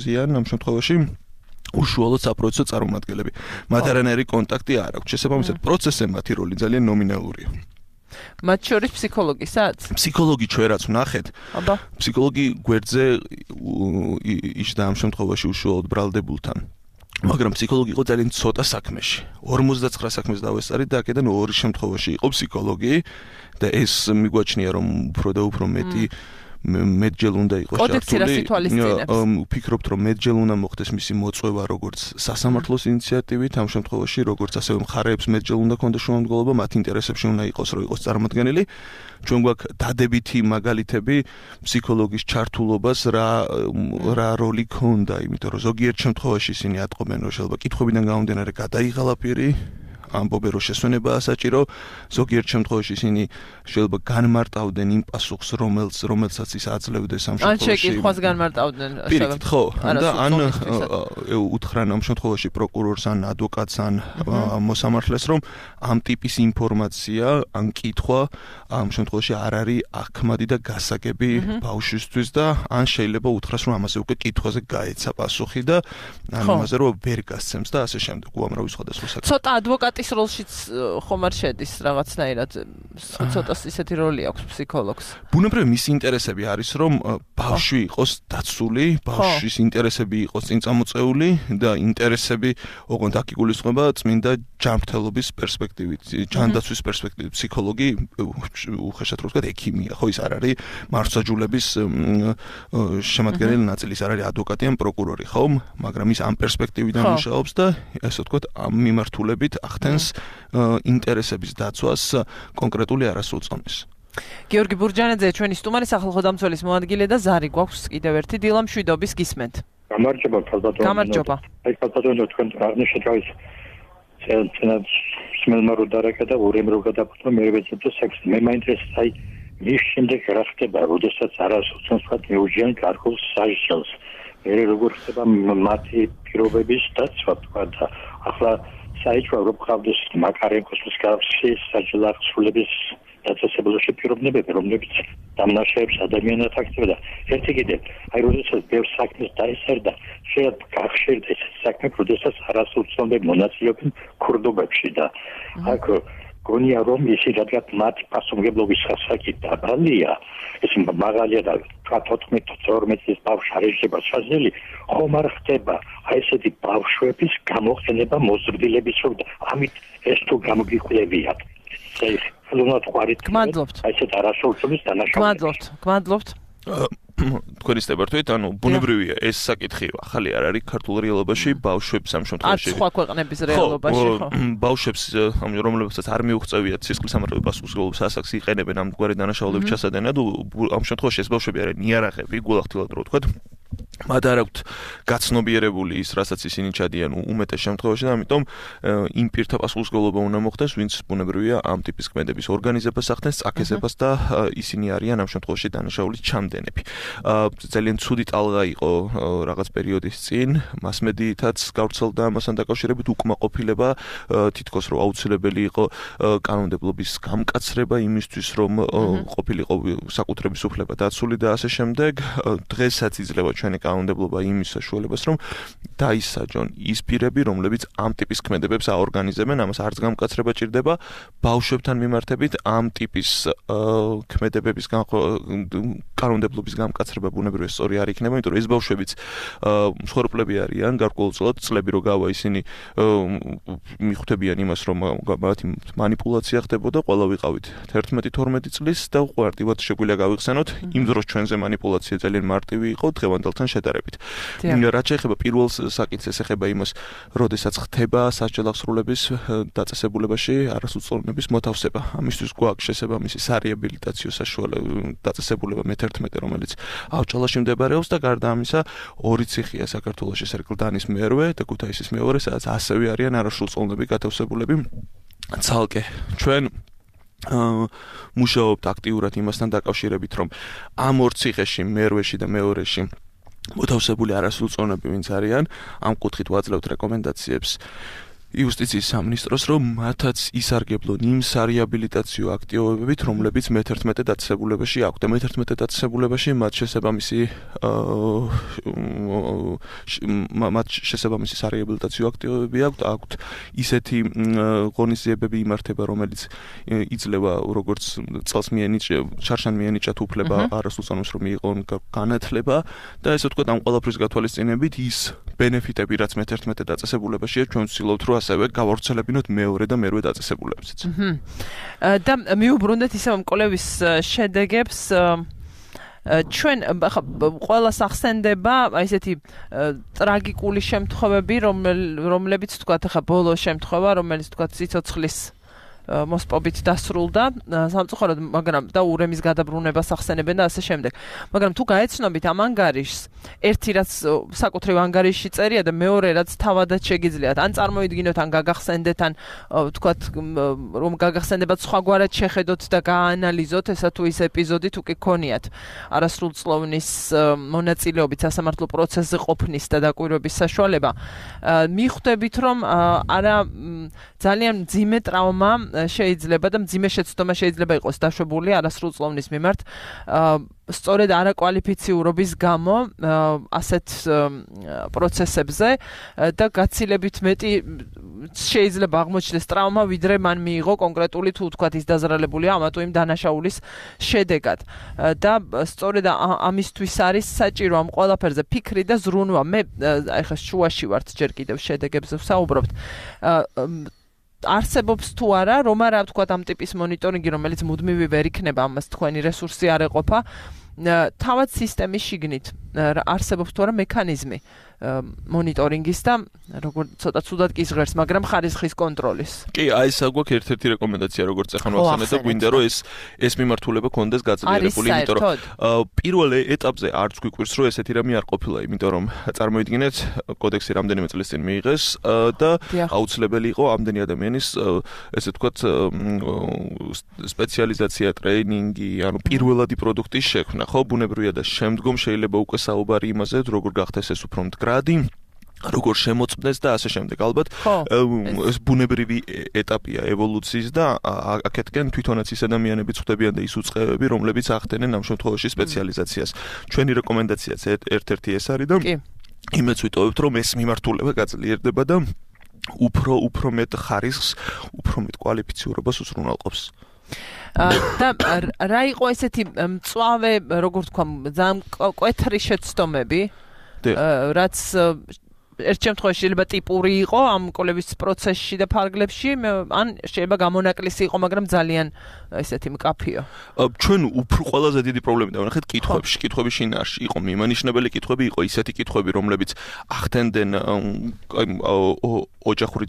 ზიან ამ შემთხვევაში უშუალოდ საპროცესო წარმომადგენლები. მათ არანაირი კონტაქტი არ აქვს. შესაბამისად, პროცესზე მათი როლი ძალიან ნომინალურია. მათ შორის ფსიქოლოგისაც? ფსიქოლოგი ჩვენ რაც ვნახეთ, ფსიქოლოგი გვერდზე იჯდა ამ შემთხვევაში უშუალოდ ბრალდებულთან. მაგრამ ფსიქოლოგი იყო ძალიან ცოტა საქმეში. ორმოცდაცხრა საქმეს დავესწარით და აქედან ორი შემთხვევაში იყო ფსიქოლოგი და ეს მიგვაჩნია რომ უფრო და უფრო მეტი მეტჯერ უნდა იყოს ჩართული. ვფიქრობთ, რომ მეტჯერ უნდა მოხდეს მისი მოწვევა როგორც სასამართლოს ინიციატივით, ამ შემთხვევაში როგორც ასევე მხარეებს მეტჯერ უნდა ქონდეს შუამდგომლობა, მათ ინტერესებში უნდა იყოს, რომ იყოს წარმოქმნილი. ჩვენ გვაქვს დადებითი მაგალითები ფსიქოლოგის ჩართულობას რა რა როლი ქონდა, იმიტომ რომ ზოგიერთ შემთხვევაში ისინი ატყობენ, რომ შეიძლება კითხვებიდან გამომდინარე გადაიღალა პირი, ამბობენ, რომ შესვენებაა საჭირო, ზოგიერთ შემთხვევაში ისინი შეიძლება განმარტავდნენ იმ პასუხს, რომელს რომელსაც ის აძლევდეს ამ შემთხვევაში. ან შეკითხვას განმარტავდნენ, პირიქით, ხო, და ან უთხრან ამ შემთხვევაში პროკურორს ან ადვოკატს ან მოსამართლეს, რომ ამ ტიპის ინფორმაცია ან კითხვა ამ შემთხვევაში არ არის აქმადი და გასაგები ბავშვისთვის და ან შეიძლება უთხრას, რომ ამაზე უკვე კითხვაზე გაეცა პასუხი და ან იმაზე რომ ვერ გასცემს და ასე შემდეგ. უამრავი სხვადასხვა საკითხი. ცოტა ადვოკატის პატის როლშიც ხომ არ შედის რაღაცნაირად ცოტა ისეთი როლი აქვს ფსიქოლოგს. ბუნებრივი მის ინტერესები არის რომ ბავშვი იყოს დაცული, ბავშვის ინტერესები იყოს წინ წამოწეული და ინტერესები ოღონდ აქ იგულისხმება წმინდა ჯანმრთელობის პერსპექტივით, ჯანდაცვის პერსპექტივით. ფსიქოლოგი უხეშად რო ვთქვათ ექიმია, ხო ის არ არის მართლმსაჯულების შემადგენელი ნაწილი, ის არ არის ადვოკატი ან პროკურორი, ხო? მაგრამ ის ამ პერსპექტივიდან მუშაობს და ასე ვთქვათ ამ მიმართულებით ახდენს ინტერესების დაცვას კონკრეტული არასრულწლოვნის. გიორგი ბურჯანაძე ჩვენი სტუმარი სახალხო დამცველის მოადგილე და ზარი გვაქვს კიდევ ერთი დილა მშვიდობის გისმენთ. გამარჯობა ქალბატონო. გამარჯობა. აი ქალბატონო თქვენ აღნიშნეთ თავის ცენაც სმელმარო დარაკეთა ურემ რო გადაფუთო მე ვეცადე სექსი. მე მაინტერესებს აი მის შემდეგ რა ხდება, როდესაც არასოდეს ვთქვათ მეუჯიან კარგულ საჟელს. მე როგორ ხდება მათი პირობების დაცვა თქვა და ახლა საერთოდ რო ყავდეს მაკარენკოს მსგავსი საჯელახსულების დაწესებულში პირობნებები, რომლებიც დამნაშაებს ადამიანად აქცევდა. ერთი კიდე, აი როდესაც ბევრ საქმეს დაესერდა, შეიძლება გახშირდეს ეს საქმე, როდესაც არასრულწლოვანები მონაწილეობენ ქურდობებში და აქ გონია რომ ისი რადგან მათ პასუხისმგებლობის ხასაკი დაბალია, ეს მაღალია და თოთხმეტ თორმეტ წლის ბავშვი არ შეიძლება შესაძლებელი, ხომ არ ხდება აი ესეთი ბავშვების გამოყენება მოზრდილების რომ ამით ეს თუ გამოგიყვლებიათ. გმადლობთ. აი ესეთ არასრულწლოვნის დანაშაულს. გმადლობთ, გმადლობთ. თქვენი სტებართვით, ანუ ბუნებრივია ეს საკითხი ახალი არ არის ქართულ რეალობაში, ბავშვებს ამ შემთხვევაში. არც სხვა ქვეყნების რეალობაში, ხო. ბავშვებს, რომლებსაც არ მიუღწევიათ სისხლის სამართლებრივ პასუხისმგებლობის ასაკს იყენებენ ამ გვარი დანაშაულების ჩასადენად, ამ შემთხვევაში ეს ბავშვები არიან ნიარაღები, გულახდილად რო ვთქვათ. მათ არ აქვთ გაცნობიერებული ის, რასაც ისინი ჩადიან უმეტეს შემთხვევაში და ამიტომ იმ პირთა პასუხისმგებლობა უნდა მოხდეს, ვინც ბუნებრივია ამ ტიპის ქმედების ორგანიზებას ახდენს, წაკისებას და ისინი არიან ამ შემთხვევაში დანაშაულის ჩამდენები. ძალიან ცუდი ტალღა იყო რაღაც პერიოდის წინ, მასმედიითაც გავრცელდა ამასთან დაკავშირებით უკმაყოფილება, თითქოს რომ აუცილებელი იყო კანონმდებლობის გამკაცრება იმისთვის, რომ ყოფილიყო საკუთრების უფლება დაცული და ასე შემდეგ. დღესაც იძლევა ჩვენი კანონმდებლობა იმის საშუალებას, რომ დაისაჯონ ის პირები, რომლებიც ამ ტიპის ქმედებებს აორგანიზებენ, ამას არც გამკაცრება ჭირდება, ბავშვებთან მიმართებით ამ ტიპის ქმედებების კანონმდებლობის გამკაცრება ბუნებრივია სწორი არ იქნება, იმიტომ რომ ეს ბავშვებიც მსხვერპლები არიან, გარკვეულწილად წლები რო გავა ისინი მიხვდებიან იმას, რომ მათი მანიპულაცია ხდებოდა, ყველა ვიყავით თერთმეტი თორმეტი წლის და უყვარდივად შეგვიძლია გავიხსენოთ, იმ დროს ჩვენზე მანიპულაცია ძალიან მარტივი იყო დღევანდელთან შედარებით. რაც შეეხება პირველ საკითხს, ეს ეხება იმას, როდესაც ხდება სასჯელახსრულების დაწესებულებაში არასრულწლოვნების მოთავსება. ამისთვის გვაქვს შესაბამისი სარეაბილიტაციო საშუალება დაწესებულება მეთერთმეტე, რომელიც ავჭალაში მდებარეობს და გარდა ამისა ორი ციხეა საქართველოში, ეს არის კლდანის მერვე და ქუთაისის მეორე, სადაც ასევე არიან არასრულწლოვნები გათავსებულები ცალკე. ჩვენ მუშაობთ აქტიურად იმასთან დაკავშირებით, რომ ამ ორ ციხეში, მერვეში და მეორეში მოთავსებული არასრულწლოვნები ვინც არიან, ამ კუთხით ვაძლევთ რეკომენდაციებს იუსტიციის სამინისტროს, რომ მათაც ისარგებლონ იმ სარეაბილიტაციო აქტივობებით, რომლებიც მეთერთმეტე დაწესებულებაში აქვთ. და მეთერთმეტე დაწესებულებაში მათ შესაბამისი მათ შესაბამისი სარეაბილიტაციო აქტივობები აქვთ, აქვთ ისეთი ღონისძიებები იმართება, რომელიც იძლევა როგორც წელს მიენიჭა, შარშან მიენიჭათ უფლება არასრულწლოვნებს რომ მიიღონ განათლება და ესე ვთქვათ, ამ ყველაფრის გათვალისწინებით ის ბენეფიტები, რაც მეთერთმეტე დაწესებულებაშია, ჩვენ ვცდილობთ რომ ასევე გავავრცელებინოთ მეორე და მერვე დაწესებულებებიც. და მიუბრუნდეთ ისევ მკვლევის შედეგებს, ჩვენ ყველას ახსენდება ესეთი ტრაგიკული შემთხვევები, რომლებიც თქვათ ახლა ბოლო შემთხვევა, რომელიც თქვათ სიცოცხლის მოსპობით დასრულდა სამწუხაროდ, მაგრამ და ურემის გადაბრუნებას ახსენებენ და ასე შემდეგ. მაგრამ თუ გაეცნობით ამ ანგარიშს, ერთი რაც საკუთრივ ანგარიშში წერია და მეორე რაც თავადაც შეგიძლიათ, ან წარმოიდგინოთ, ან გაგახსენდეთ, ან თქვათ რომ გაგახსენდებათ სხვაგვარად შეხედოთ და გააანალიზოთ ესა თუ ის ეპიზოდი თუ კი ქონიათ არასრულწლოვნის მონაწილეობით სასამართლო პროცესზე ყოფნის და დაკვირვების საშუალება, მიხვდებით რომ არა ძალიან მძიმე ტრავმა შეიძლება და მძიმე შეცდომა შეიძლება იყოს დაშვებული არასრულწლოვნის მიმართ. სწორედ არაკვალიფიციურობის გამო ასეთ პროცესებზე და გაცილებით მეტი შეიძლება აღმოჩნდეს ტრავმა, ვიდრე მან მიიღო კონკრეტული თუ თქვათ ის დაზრალებულია ამა თუ იმ დანაშაულის შედეგად. და სწორედ ამისთვის არის საჭირო ამ ყველაფერზე ფიქრი და ზრუნვა. მე ახლა შუაში ვართ ჯერ კიდევ შედეგებზე ვსაუბრობთ. არსებობს თუ არა, რომ არა ვთქვათ ამ ტიპის მონიტორინგი, რომელიც მუდმივი ვერ იქნება, ამას თქვენი რესურსი არ ეყოფა, თავად სისტემის შიგნით არსებობს თუ არა მექანიზმი მონიტორინგის და როგორ ცოტა ცუდად კი ჟღერს, მაგრამ ხარისხის კონტროლის. კი, აი ეს აგვაქვს ერთ-ერთი რეკომენდაცია, როგორც ახლა ვახსენეთ და გვინდა რომ ეს ეს მიმართულება კონდეს გაძლიერებული, იმიტომ რომ პირველ ეტაპზე არც გვიკვირს რომ ესეთი რამე არ ყოფილა, იმიტომ რომ წარმოიდგინეთ კოდექსი რამდენიმე წლის წინ მიიღეს და აუცილებელი იყო ამდენი ადამიანის ესე ვთქვათ სპეციალიზაცია, ტრეინინგი, ანუ პირველადი პროდუქტის შექმნა, ხო, ბუნებრივია და შემდგომ შეიძლება უკვე საუბარი იმაზე, როგორ გახდეს ეს უფრო მდგრადი, როგორ შემოწმდეს და ასე შემდეგ. ალბათ ეს ბუნებრივი ეტაპია ევოლუციის და აქეთკენ თვითონაც ის ადამიანები წვდებიან და ის უწყებები, რომლებიც ახდენენ ამ შემთხვევაში სპეციალიზაციას. ჩვენი რეკომენდაციაც ერთ-ერთი ეს არის და იმეც ვიტოვებთ, რომ ეს მიმართულება გაძლიერდება და უფრო უფრო მეტ ხარისხს, უფრო მეტ კვალიფიციურობას უზრუნველყოფს. და რა იყო ესეთი მწვავე, როგორ თქვა, ძალიან კვეთრი შეცდომები, რაც ერთ შემთხვევაში შეიძლება ტიპური იყო ამ კოლების პროცესში და ფარგლებში, ან შეიძლება გამონაკლისი იყო, მაგრამ ძალიან ესეთი მკაფიო. ჩვენ უფრო ყველაზე დიდი პრობლემი დავნახეთ კითხვებში, კითხვების შინაარსში იყო მიმანიშნებელი კითხვები, იყო ისეთი კითხვები, რომლებიც ახდენდნენ ოჯახური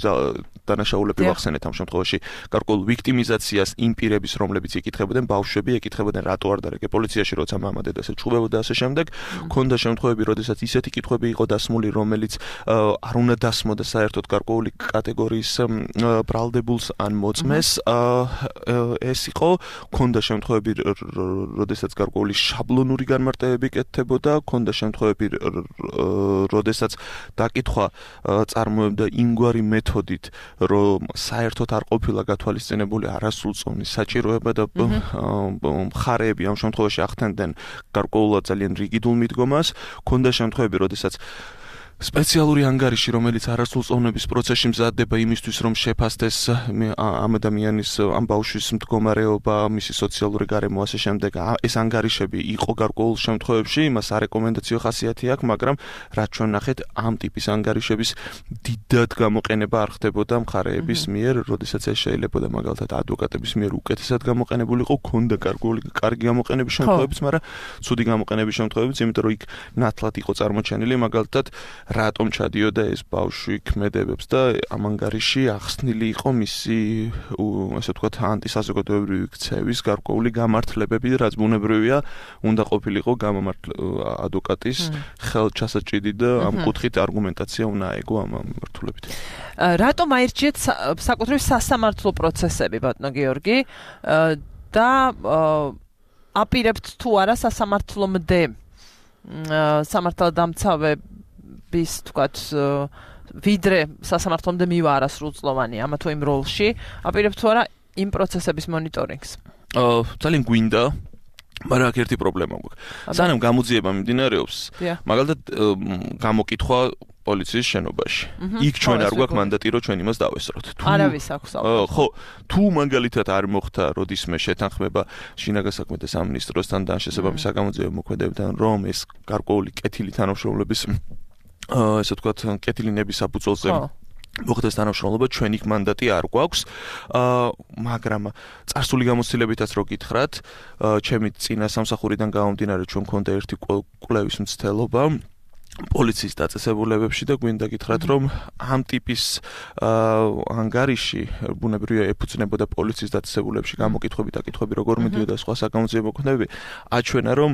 დანაშაულები ვახსენეთ ამ შემთხვევაში, გარკვეულ ვიქტიმიზაციას იმ პირების, რომლებიც იკითხებოდნენ, ბავშვები ეკითხებოდნენ, რატო არ დარეკე პოლიციაში, როცა მამა დედას ეჩხუბებოდა და ასე შემდეგ. ქონდა შემთხვევები, როდესაც ისეთი კითხვები იყო დასმული, რომელიც არ უნდა დასმოდა საერთოდ გარკვეული კატეგორიის ბრალდებულს ან მოწმეს. ეს იყო, ქონდა შემთხვევები, როდესაც გარკვეული შაბლონური განმარტებები კეთდებოდა, ქონდა შემთხვევები, როდესაც დაკითხვა წარმოებდა იმგვარი მეთოდით, რომ საერთოდ არ ყოფილა გათვალისწინებული არასრულწლოვანი საჭიროება და მხარეები ამ შემთხვევაში ახდენდნენ გარკვეულად ძალიან რიგიდულ მიდგომას, ქონდა შემთხვევები, როდესაც სპეციალური ანგარიში, რომელიც არასრულწლოვნების პროცესში მზადდება იმისთვის, რომ შეფასდეს ამ ადამიანის, ამ ბავშვის მდგომარეობა, მისი სოციალური გარემო, ასე შემდეგ. ეს ანგარიშები იყო გარკვეულ შემთხვევებში, იმას არეკომენდაციო ხასიათი აქვს, მაგრამ რაც ჩვენ ნახეთ, ამ ტიპის ანგარიშების დიდად გამოყენება არ ხდებოდა მხარეების მიერ, როდესაც ეს შეიძლებოდა მაგალითად ადვოკატების მიერ უკეთესად გამოყენებული იყო, ქონდა გარკვეული კარგი გამოყენების შემთხვევებიც, მაგრამ ცუდი გამოყენების შემთხვევებიც, იმიტომ რომ იქ ნათლად იყო წარმოჩენილი მაგალითად რატომ ჩადიოდა ეს ბავშვი ქმედებებს და ამ ანგარიში ახსნილი იყო მისი ასე ვთქვათ ანტისაზოგადოებრივი ქცევის გარკვეული გამართლებები, რაც ბუნებრივია, უნდა ყოფილიყო გამომართლ ადვოკატის ხელჩასაჭიდი და ამ კუთხით არგუმენტაცია უნდა აეგო ამ მიმართულებით. რატომ აირჩიეთ საკუთრივ სასამართლო პროცესები, ბატონო გიორგი, და აპირებთ თუ არა სასამართლომდე სამართალდამცავე bis თქვათ ვიდრე სასამართლომდე მივა არასრულწლოვანი ამა თუ იმ როლში, აპირებთ თუ არა იმ პროცესების მონიტორინგს? ძალიან გვინდა, მაგრამ აქ ერთი პრობლემა გვაქვს. სანამ გამოძიება მიმდინარეობს, მაგალითად გამოკითხვა პოლიციის შენობაში. იქ ჩვენ არ გვაქვს მანდატი, რომ ჩვენ იმას დავესწროთ. არავის აქვს ალბათ. ხო, თუ მაგალითად არ მოხდა როდისმე შეთანხმება შინაგან საქმეთა სამინისტროსთან და შესაბამის საგამოძიებო მოქმედებებთან, რომ ეს გარკვეული კეთილი თანამშრომლობის ესე ვთქვათ, კეთილინების საფუძველზე მოხდეს თანამშრომლობა, ჩვენ იქ მანდატი არ გვაქვს, მაგრამ წარსული გამოცდილებითაც რო გითხრათ, ჩემი წინა სამსახურიდან გამომდინარე ჩვენ მქონდა ერთი კვლევის მცდელობა პოლიციის დაწესებულებებში და გვინდა გითხრათ, რომ ამ ტიპის ანგარიში ბუნებრივია ეფუძნებოდა პოლიციის დაწესებულებებში გამოკითხვები და კითხვები როგორ მიდიოდა სხვა საგამოძიებო მოქმედებები, აჩვენა რომ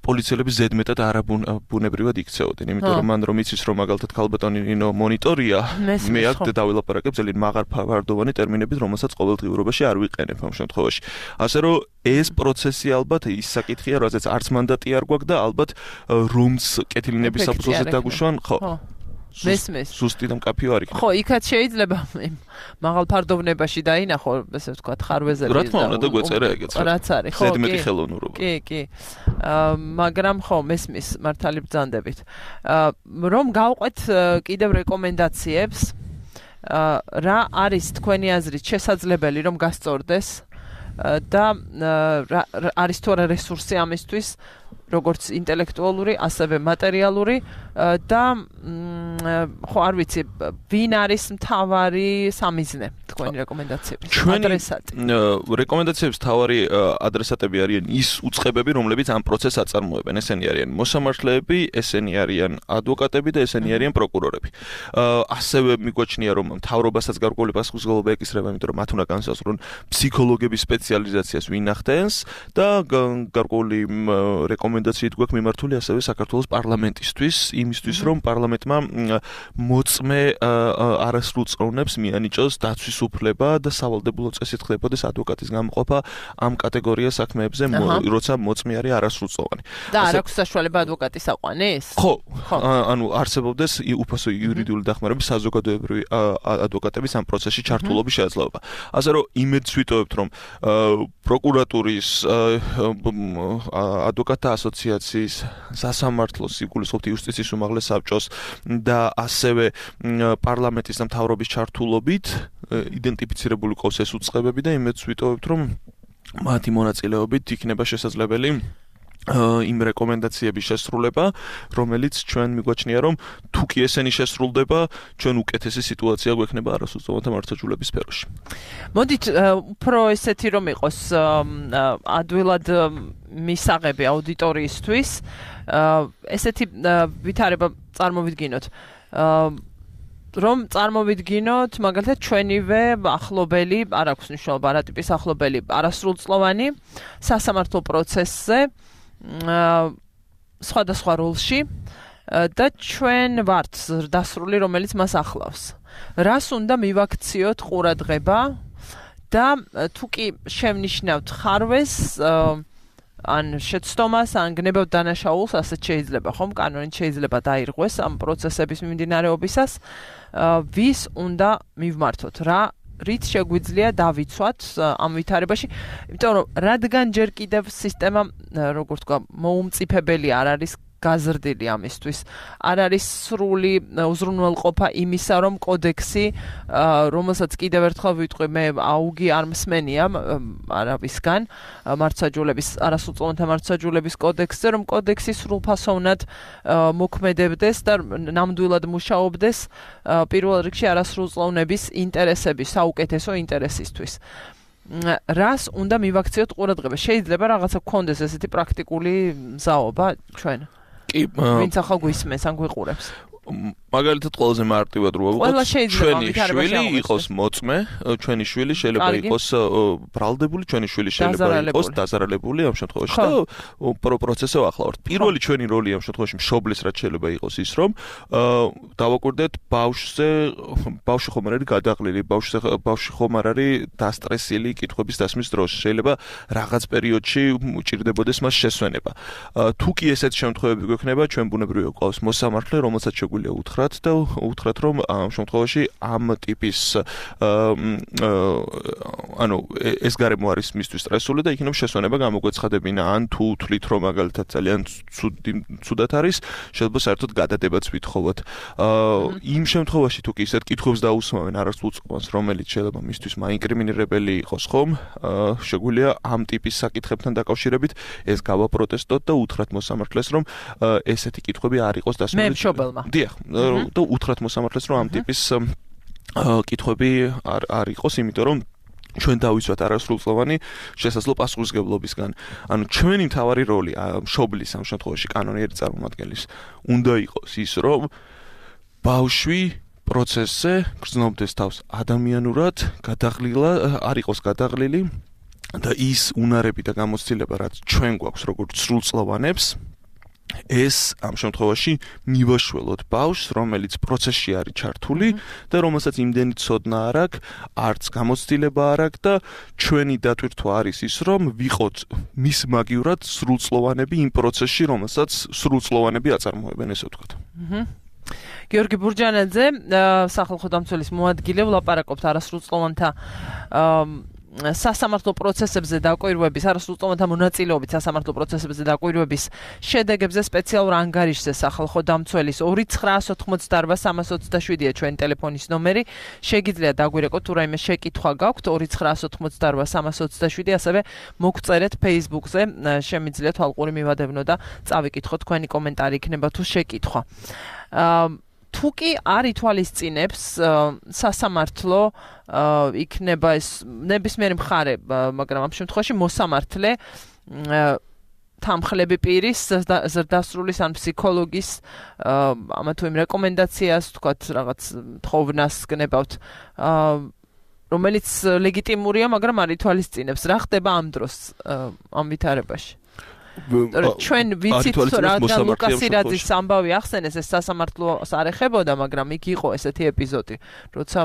პოლიციელები ზედმეტად არაბუნებრივად იქცეოდნენ, იმიტომ რომ მან რომ იცის რომ მაგალითად ქალბატონი ნინო მონიტორია, მე აქ დავილაპარაკებ ძალიან მაღალფარდოვანი ტერმინებით, რომელსაც ყოველდღიურობაში არ ვიყენებ ამ შემთხვევაში. ასე რომ ეს პროცესი ალბათ ის საკითხია, როდესაც არც მანდატი არ გვაქვს და ალბათ რომც კეთილინების საფუძველზე დაგუშვან, ხო. მესმის. სუსტი და მკაფიო არ იქნება. ხო, იქაც შეიძლება მაღალ ფარდოვნებაში დაინახო, ესე ვთქვათ, ხარვეზები და რა თქმა უნდა და გვეწერა ეგეც. რაც არის, ხო, ზედმეტი ხელოვნურობა. კი, კი. აა მაგრამ ხო, მესმის მართალი ბრძანდებით. აა რომ გავყვეთ კიდევ რეკომენდაციებს, აა რა არის თქვენი აზრით შესაძლებელი რომ გასწორდეს და არის თუ არა რესურსი ამისთვის, როგორც ინტელექტუალური, ასევე მატერიალური და ხო არ ვიცი, ვინ არის მთავარი სამიზნე თქვენი რეკომენდაციების ადრესატი. რეკომენდაციების მთავარი ადრესატები არიან ის უწყებები, რომლებიც ამ პროცესს აწარმოებენ. ესენი არიან მოსამართლეები, ესენი არიან ადვოკატები და ესენი არიან პროკურორები. ასევე მიგვაჩნია, რომ მთავრობასაც გარკვეული პასუხისმგებლობა ეკისრება, იმიტომ რომ მათ უნდა განსაზღვრონ ფსიქოლოგების სპეციალიზაციას ვინ ახდენს და გარკვეული რეკომენდაციით გვაქვს მიმართული ასევე საქართველოს პარლამენტისთვის, იმისთვის, რომ პარლამენტმა მოწმე არასრულწლოვნებს მიანიჭოს დაცვის უფლება და სავალდებულო წესით ხდებოდეს ადვოკატის გამოყოფა ამ კატეგორიას საქმეებზე, როცა მოწმე არის არასრულწლოვანი. და არ აქვს საშუალება ადვოკატის აყვანის? ხო, ანუ არსებობდეს უფასო იურიდიული დახმარების საზოგადოებრივი ადვოკატების ამ პროცესში ჩართულობის შესაძლებლობა. ასე რომ იმედს ვიტოვებთ, რომ პროკურატურის ადვოკატთა ასოციაციის, სასამართლოს, იგულისხმობთ იუსტიციის უმაღლეს საბჭოს და ასევე პარლამენტის და მთავრობის ჩართულობით იდენტიფიცირებული ყავს ეს უწყებები და იმედს ვიტოვებთ, რომ მათი მონაწილეობით იქნება შესაძლებელი იმ რეკომენდაციების შესრულება, რომელიც ჩვენ მიგვაჩნია, რომ თუ კი ესენი შესრულდება, ჩვენ უკეთესი სიტუაცია გვექნება არასრულწლოვანთა მართლმსაჯულების სფეროში. მოდით უფრო ესეთი რომ იყოს ადვილად მისაღები აუდიტორიისთვის, ესეთი ვითარება წარმოვიდგინოთ. რომ წარმოვიდგინოთ, მაგალითად, ჩვენივე ახლობელი, არ აქვს მნიშვნელობა რა ტიპის ახლობელი, არასრულწლოვანი სასამართლო პროცესზე სხვადასხვა როლში და ჩვენ ვართ დასრული, რომელიც მას ახლავს. რას უნდა მივაქციოთ ყურადღება და თუ კი შევნიშნავთ ხარვეს ან შეცდომას, ან გნებავთ დანაშაულს, ასეთ შეიძლება, ხომ? კანონით შეიძლება დაირღვეს ამ პროცესების მიმდინარეობისას, ვის უნდა მივმართოთ, რა რით შეგვიძლია დავიცვათ ამ ვითარებაში, იმიტომ რომ რადგან ჯერ კიდევ სისტემა, როგორ თქვა, მოუმწიფებელი არ არის გაზრდილი ამისთვის. არ არის სრული უზრუნველყოფა იმისა, რომ კოდექსი, რომელსაც კიდევ ერთხელ ვიტყვი, მე აუგი არ მსმენია არავისგან, მართლმსაჯულების, არასრულწლოვანთა მართლმსაჯულების კოდექსზე, რომ კოდექსი სრულფასოვნად მოქმედებდეს და ნამდვილად მუშაობდეს პირველ რიგში არასრულწლოვნების ინტერესების, საუკეთესო ინტერესისთვის. რას უნდა მივაქციოთ ყურადღება? შეიძლება რაღაცა გქონდეს ესეთი პრაქტიკული მზაობა ჩვენ? ვინც ახალ გვისმენს ან გვიყურებს. მაგალითად ყველაზე მარტივად რო ვიყოთ, ჩვენი შვილი იყოს მოწმე, ჩვენი შვილი შეიძლება იყოს ბრალდებული, ჩვენი შვილი შეიძლება იყოს დაზარალებული ამ შემთხვევაში და პროცესზე ვახლავართ. პირველი ჩვენი როლი ამ შემთხვევაში მშობლის რაც შეიძლება იყოს ის, რომ დავაკვირდეთ ბავშვზე, ბავშვი ხომ არ არის გადაყლილი, ბავშვზე ბავშვი ხომ არ არის დასტრესილი კითხვების დასმის დროს. შეიძლება რაღაც პერიოდში უჭირდებოდეს მას შესვენება. თუ კი ესეთ შემთხვევები გვექნება, ჩვენ ბუნებრივია გვყავს მოსამართლე, რომელსაც შეგვიძლია უთხრათ და უთხრათ, რომ ამ შემთხვევაში ამ ტიპის ანუ ეს გარემო არის მისთვის სტრესული და იქნებ შესვენება გამოგვეცხადებინა, ან თუ თვლით, რომ მაგალითად ძალიან ცუდად არის, შეიძლება საერთოდ გადადებაც ვითხოვოთ. იმ შემთხვევაში თუ კი ისეთ კითხვებს დაუსმავენ არასრულწლოვანს, რომელიც შეიძლება მისთვის მაინკრიმინირებელი იყოს, ხომ? შეგვიძლია ამ ტიპის საკითხებთან დაკავშირებით ეს გავაპროტესტოთ და უთხრათ მოსამართლეს, რომ ესეთი კითხვები არ იყოს დასმული. მე მშობელმა. დიახ, და უთხრათ მოსამართლეს, რომ ამ ტიპის კითხვები არ არ იყოს, იმიტომ რომ ჩვენ დავიცვათ არასრულწლოვანი შესაძლო პასუხისმგებლობისგან. ანუ ჩვენი მთავარი როლი მშობლის ამ შემთხვევაში კანონიერი წარმომადგენლის უნდა იყოს ის, რომ ბავშვი პროცესზე გრძნობდეს თავს ადამიანურად, გადაღლილა არ იყოს გადაღლილი და ის უნარები და გამოცდილება, რაც ჩვენ გვაქვს როგორც სრულწლოვანებს, ეს ამ შემთხვევაში მივაშველოთ ბავშვს, რომელიც პროცესში არის ჩართული და რომელსაც იმდენი ცოდნა არ აქვს, არც გამოცდილება არ აქვს და ჩვენი დატვირთვა არის ის, რომ ვიყოთ მის მაგივრად სრულწლოვანები იმ პროცესში, რომელსაც სრულწლოვანები აწარმოებენ, ესე ვთქვათ. გიორგი ბურჯანაძე, სახალხო დამცველის მოადგილე, ვლაპარაკობთ არასრულწლოვანთა სასამართლო პროცესებზე დაკვირვების, არასრულწლოვანთა მონაწილეობით სასამართლო პროცესებზე დაკვირვების შედეგებზე სპეციალურ ანგარიშზე სახალხო დამცველის ორი ცხრაას ოთხმოცდაარბა სამას ოცდაშვიდია ჩვენი ტელეფონის ნომერი. შეგიძლიათ დაგვირეკოთ თუ რაიმე შეკითხვა გაქვთ ორი ცხრაას ოთხმოცდაარბა სამას ოცდაშვიდი, ასევე მოგწერეთ Facebook-ზე, შემიძლიათ ალყური მივადევნო და წავიკითხოთ, თქვენი კომენტარი იქნება თუ შეკითხვა. თუ კი არ ითვალისწინებს სასამართლო იქნება ეს ნებისმიერი მხარე, მაგრამ ამ შემთხვევაში მოსამართლე თანხლები პირის ზრდასრულის ან ფსიქოლოგის ამა თუ იმ რეკომენდაციას, თქვათ რაღაც თხოვნას გნებავთ, რომელიც ლეგიტიმურია, მაგრამ არ ითვალისწინებს. რა ხდება ამ დროს ამ ვითარებაში? ჩვენ ვიცით რადგან ლუკას ირაძის ამბავი ახსენეს, ეს სასამართლოს არ ეხებოდა, მაგრამ იქ იყო ესეთი ეპიზოდი, როცა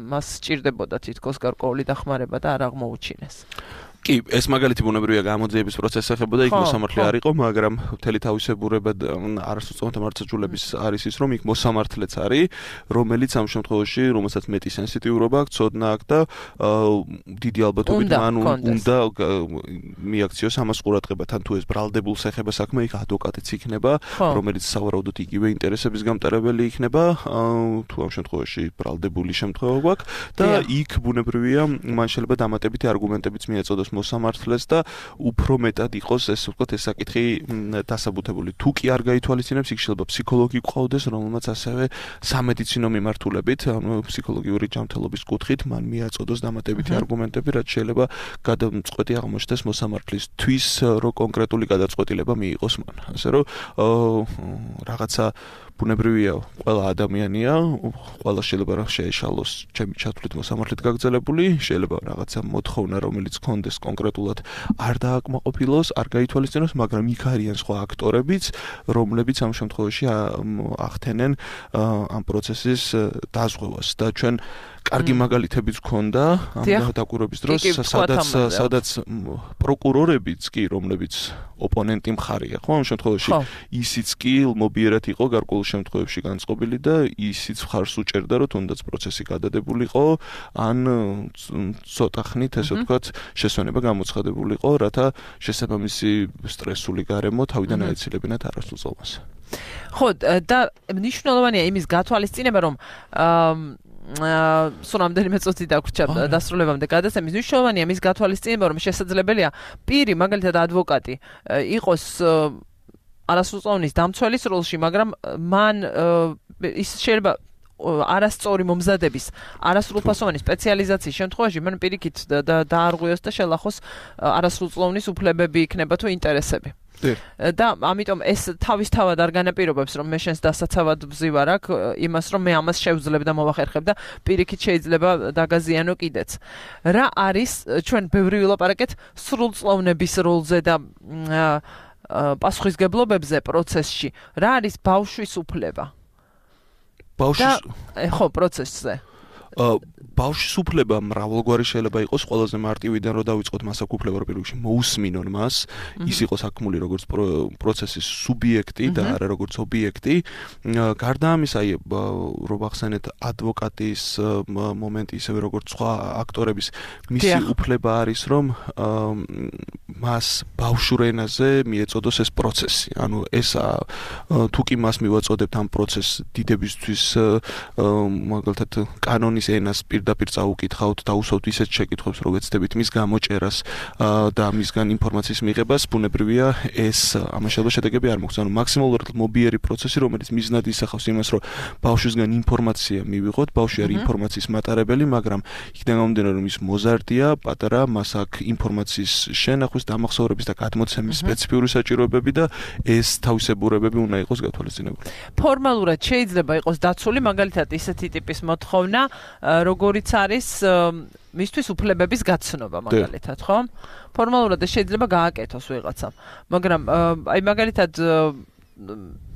მას სჭირდებოდა თითქოს გარკვეული დახმარება და არ აღმოუჩინეს. კი, ეს მაგალითი ბუნებრივია გამოძიების პროცესს ეხებოდა, იქ მოსამართლე არ იყო, მაგრამ მთელი თავისებურებად არასრულწლოვანთა მართლმსაჯულების არის ის, რომ იქ მოსამართლეც არის, რომელიც ამ შემთხვევაში, რომელსაც მეტი სენსიტიურობა აქვს, ცოდნა აქვს და დიდი ალბათობით მან უნდა მიაქციოს ამას ყურადღება, თან თუ ეს ბრალდებულს ეხება საქმე, იქ ადვოკატიც იქნება, რომელიც სავარაუდოდ იგივე ინტერესების გამტარებელი იქნება, თუ ამ შემთხვევაში ბრალდებული შემთხვევა გვაქვს და იქ ბუნებრივია, მან შეიძლება დამატებითი არგუმენტებიც მიეწოდოს მოსამართლეს და უფრო მეტად იყოს ეს ვთქვათ ეს საკითხი დასაბუთებული. თუ კი არ გაითვალისწინებს, იქ შეიძლება ფსიქოლოგი გყავდეს, რომელმაც ასევე სამედიცინო მიმართულებით, ანუ ფსიქოლოგიური ჯანმრთელობის კუთხით მან მიაწოდოს დამატებითი არგუმენტები, რაც შეიძლება გადამწყვეტი აღმოჩნდეს მოსამართლისთვის, რომ კონკრეტული გადაწყვეტილება მიიღოს მან. ასე რომ რაღაცა ბუნებრივია, ყველა ადამიანია, ყველა შეიძლება რა შეეშალოს ჩემი ჩათვლით მოსამართლედ გაგრძელებული, შეიძლება რაღაცა მოთხოვნა, რომელიც კონდეს კონკრეტულად არ დააკმაყოფილოს, არ გაითვალისწინოს, მაგრამ იქ არიან სხვა აქტორებიც, რომლებიც ამ შემთხვევაში ახდენენ ამ პროცესის დაზღვევას და ჩვენ კარგი მაგალითებიც გქონდა ამ დაკვირვების დროს, სადაც სადაც პროკურორებიც კი, რომლებიც ოპონენტი მხარეა, ხო, ამ შემთხვევაში ისიც კი მობიერად იყო გარკვეულ შემთხვევებში განწყობილი და ისიც მხარს უჭერდა, რომ თუნდაც პროცესი გადადებულიყო, ან ცოტა ხნით, ესე ვთქვათ, შესვენება გამოცხადებულიყო, რათა შესაბამისი სტრესული გარემო თავიდან აეცილებინათ არასრულწლოვანს. ხო, და მნიშვნელოვანია იმის გათვალისწინება, რომ სულ რამდენიმე წუთი დაგვრჩა დასრულებამდე გადაცემის. მნიშვნელოვანია მის გათვალისწინება, რომ შესაძლებელია პირი, მაგალითად ადვოკატი, იყოს არასრულწლოვანის დამცველის როლში, მაგრამ მან ის შეიძლება არასწორი მომზადების, არასრულფასოვანი სპეციალიზაციის შემთხვევაში მან პირიქით დაარღვიოს და შელახოს არასრულწლოვნის უფლებები იქნება თუ ინტერესები. და ამიტომ ეს თავისთავად არ განაპირობებს, რომ მე შენს დასაცავად ვზივარ აქ იმას, რომ მე ამას შევძლებ და მოვახერხებ და პირიქით შეიძლება დაგაზიანო კიდეც. რა არის ჩვენ ბევრი ვილაპარაკეთ სრულწლოვნების როლზე და პასუხისგებლობებზე პროცესში. რა არის ბავშვის უფლება? ბავშვის ხო, პროცესზე. ბავშვის უფლება მრავალგვარი შეიძლება იყოს, ყველაზე მარტივიდან რომ დავიწყოთ მას აქ უფლება რომ პირველში მოусმინონ მას, ის იყოს აქმული როგორც პროცესის სუბიექტი და არა როგორც ობიექტი. გარდა ამისა, აი რომ ახსენეთ ადვოკატის მომენტი, ისევე როგორც სხვა აქტორების, მისი უფლება არის რომ მას ბავშვურ ენაზე მიეწოდოს ეს პროცესი. ანუ ეს თუ კი მას მივაწოდებთ ამ პროცესს დიდებისთვის მაგალითად კანონის ენას პირდაპირ წაუკითხავთ, დაუსვავთ ისეთ შეკითხვებს, რომ ვეცდებით მის გამოჭერას და მისგან ინფორმაციის მიღებას, ბუნებრივია ეს ამას შეიძლება შედეგები არ მოხდეს. ანუ მაქსიმალურად მობიერი პროცესი, რომელიც მიზნად ისახავს იმას, რომ ბავშვისგან ინფორმაცია მივიღოთ, ბავშვი არის ინფორმაციის მატარებელი, მაგრამ იქიდან გამომდინარე, რომ ის მოზარდია, პატარა, მას აქვს ინფორმაციის შენახვის, დამახსოვრების და გადმოცემის სპეციფიური საჭიროებები და ეს თავისებურებები უნდა იყოს გათვალისწინებული. ფორმალურად შეიძლება იყოს დაცული, მაგალითად ისეთი ტიპის მოთხოვნა, როგორიც არის მისთვის უფლებების გაცნობა მაგალითად, ხო? ფორმალურად შეიძლება გააკეთოს ვიღაცამ. მაგრამ აი მაგალითად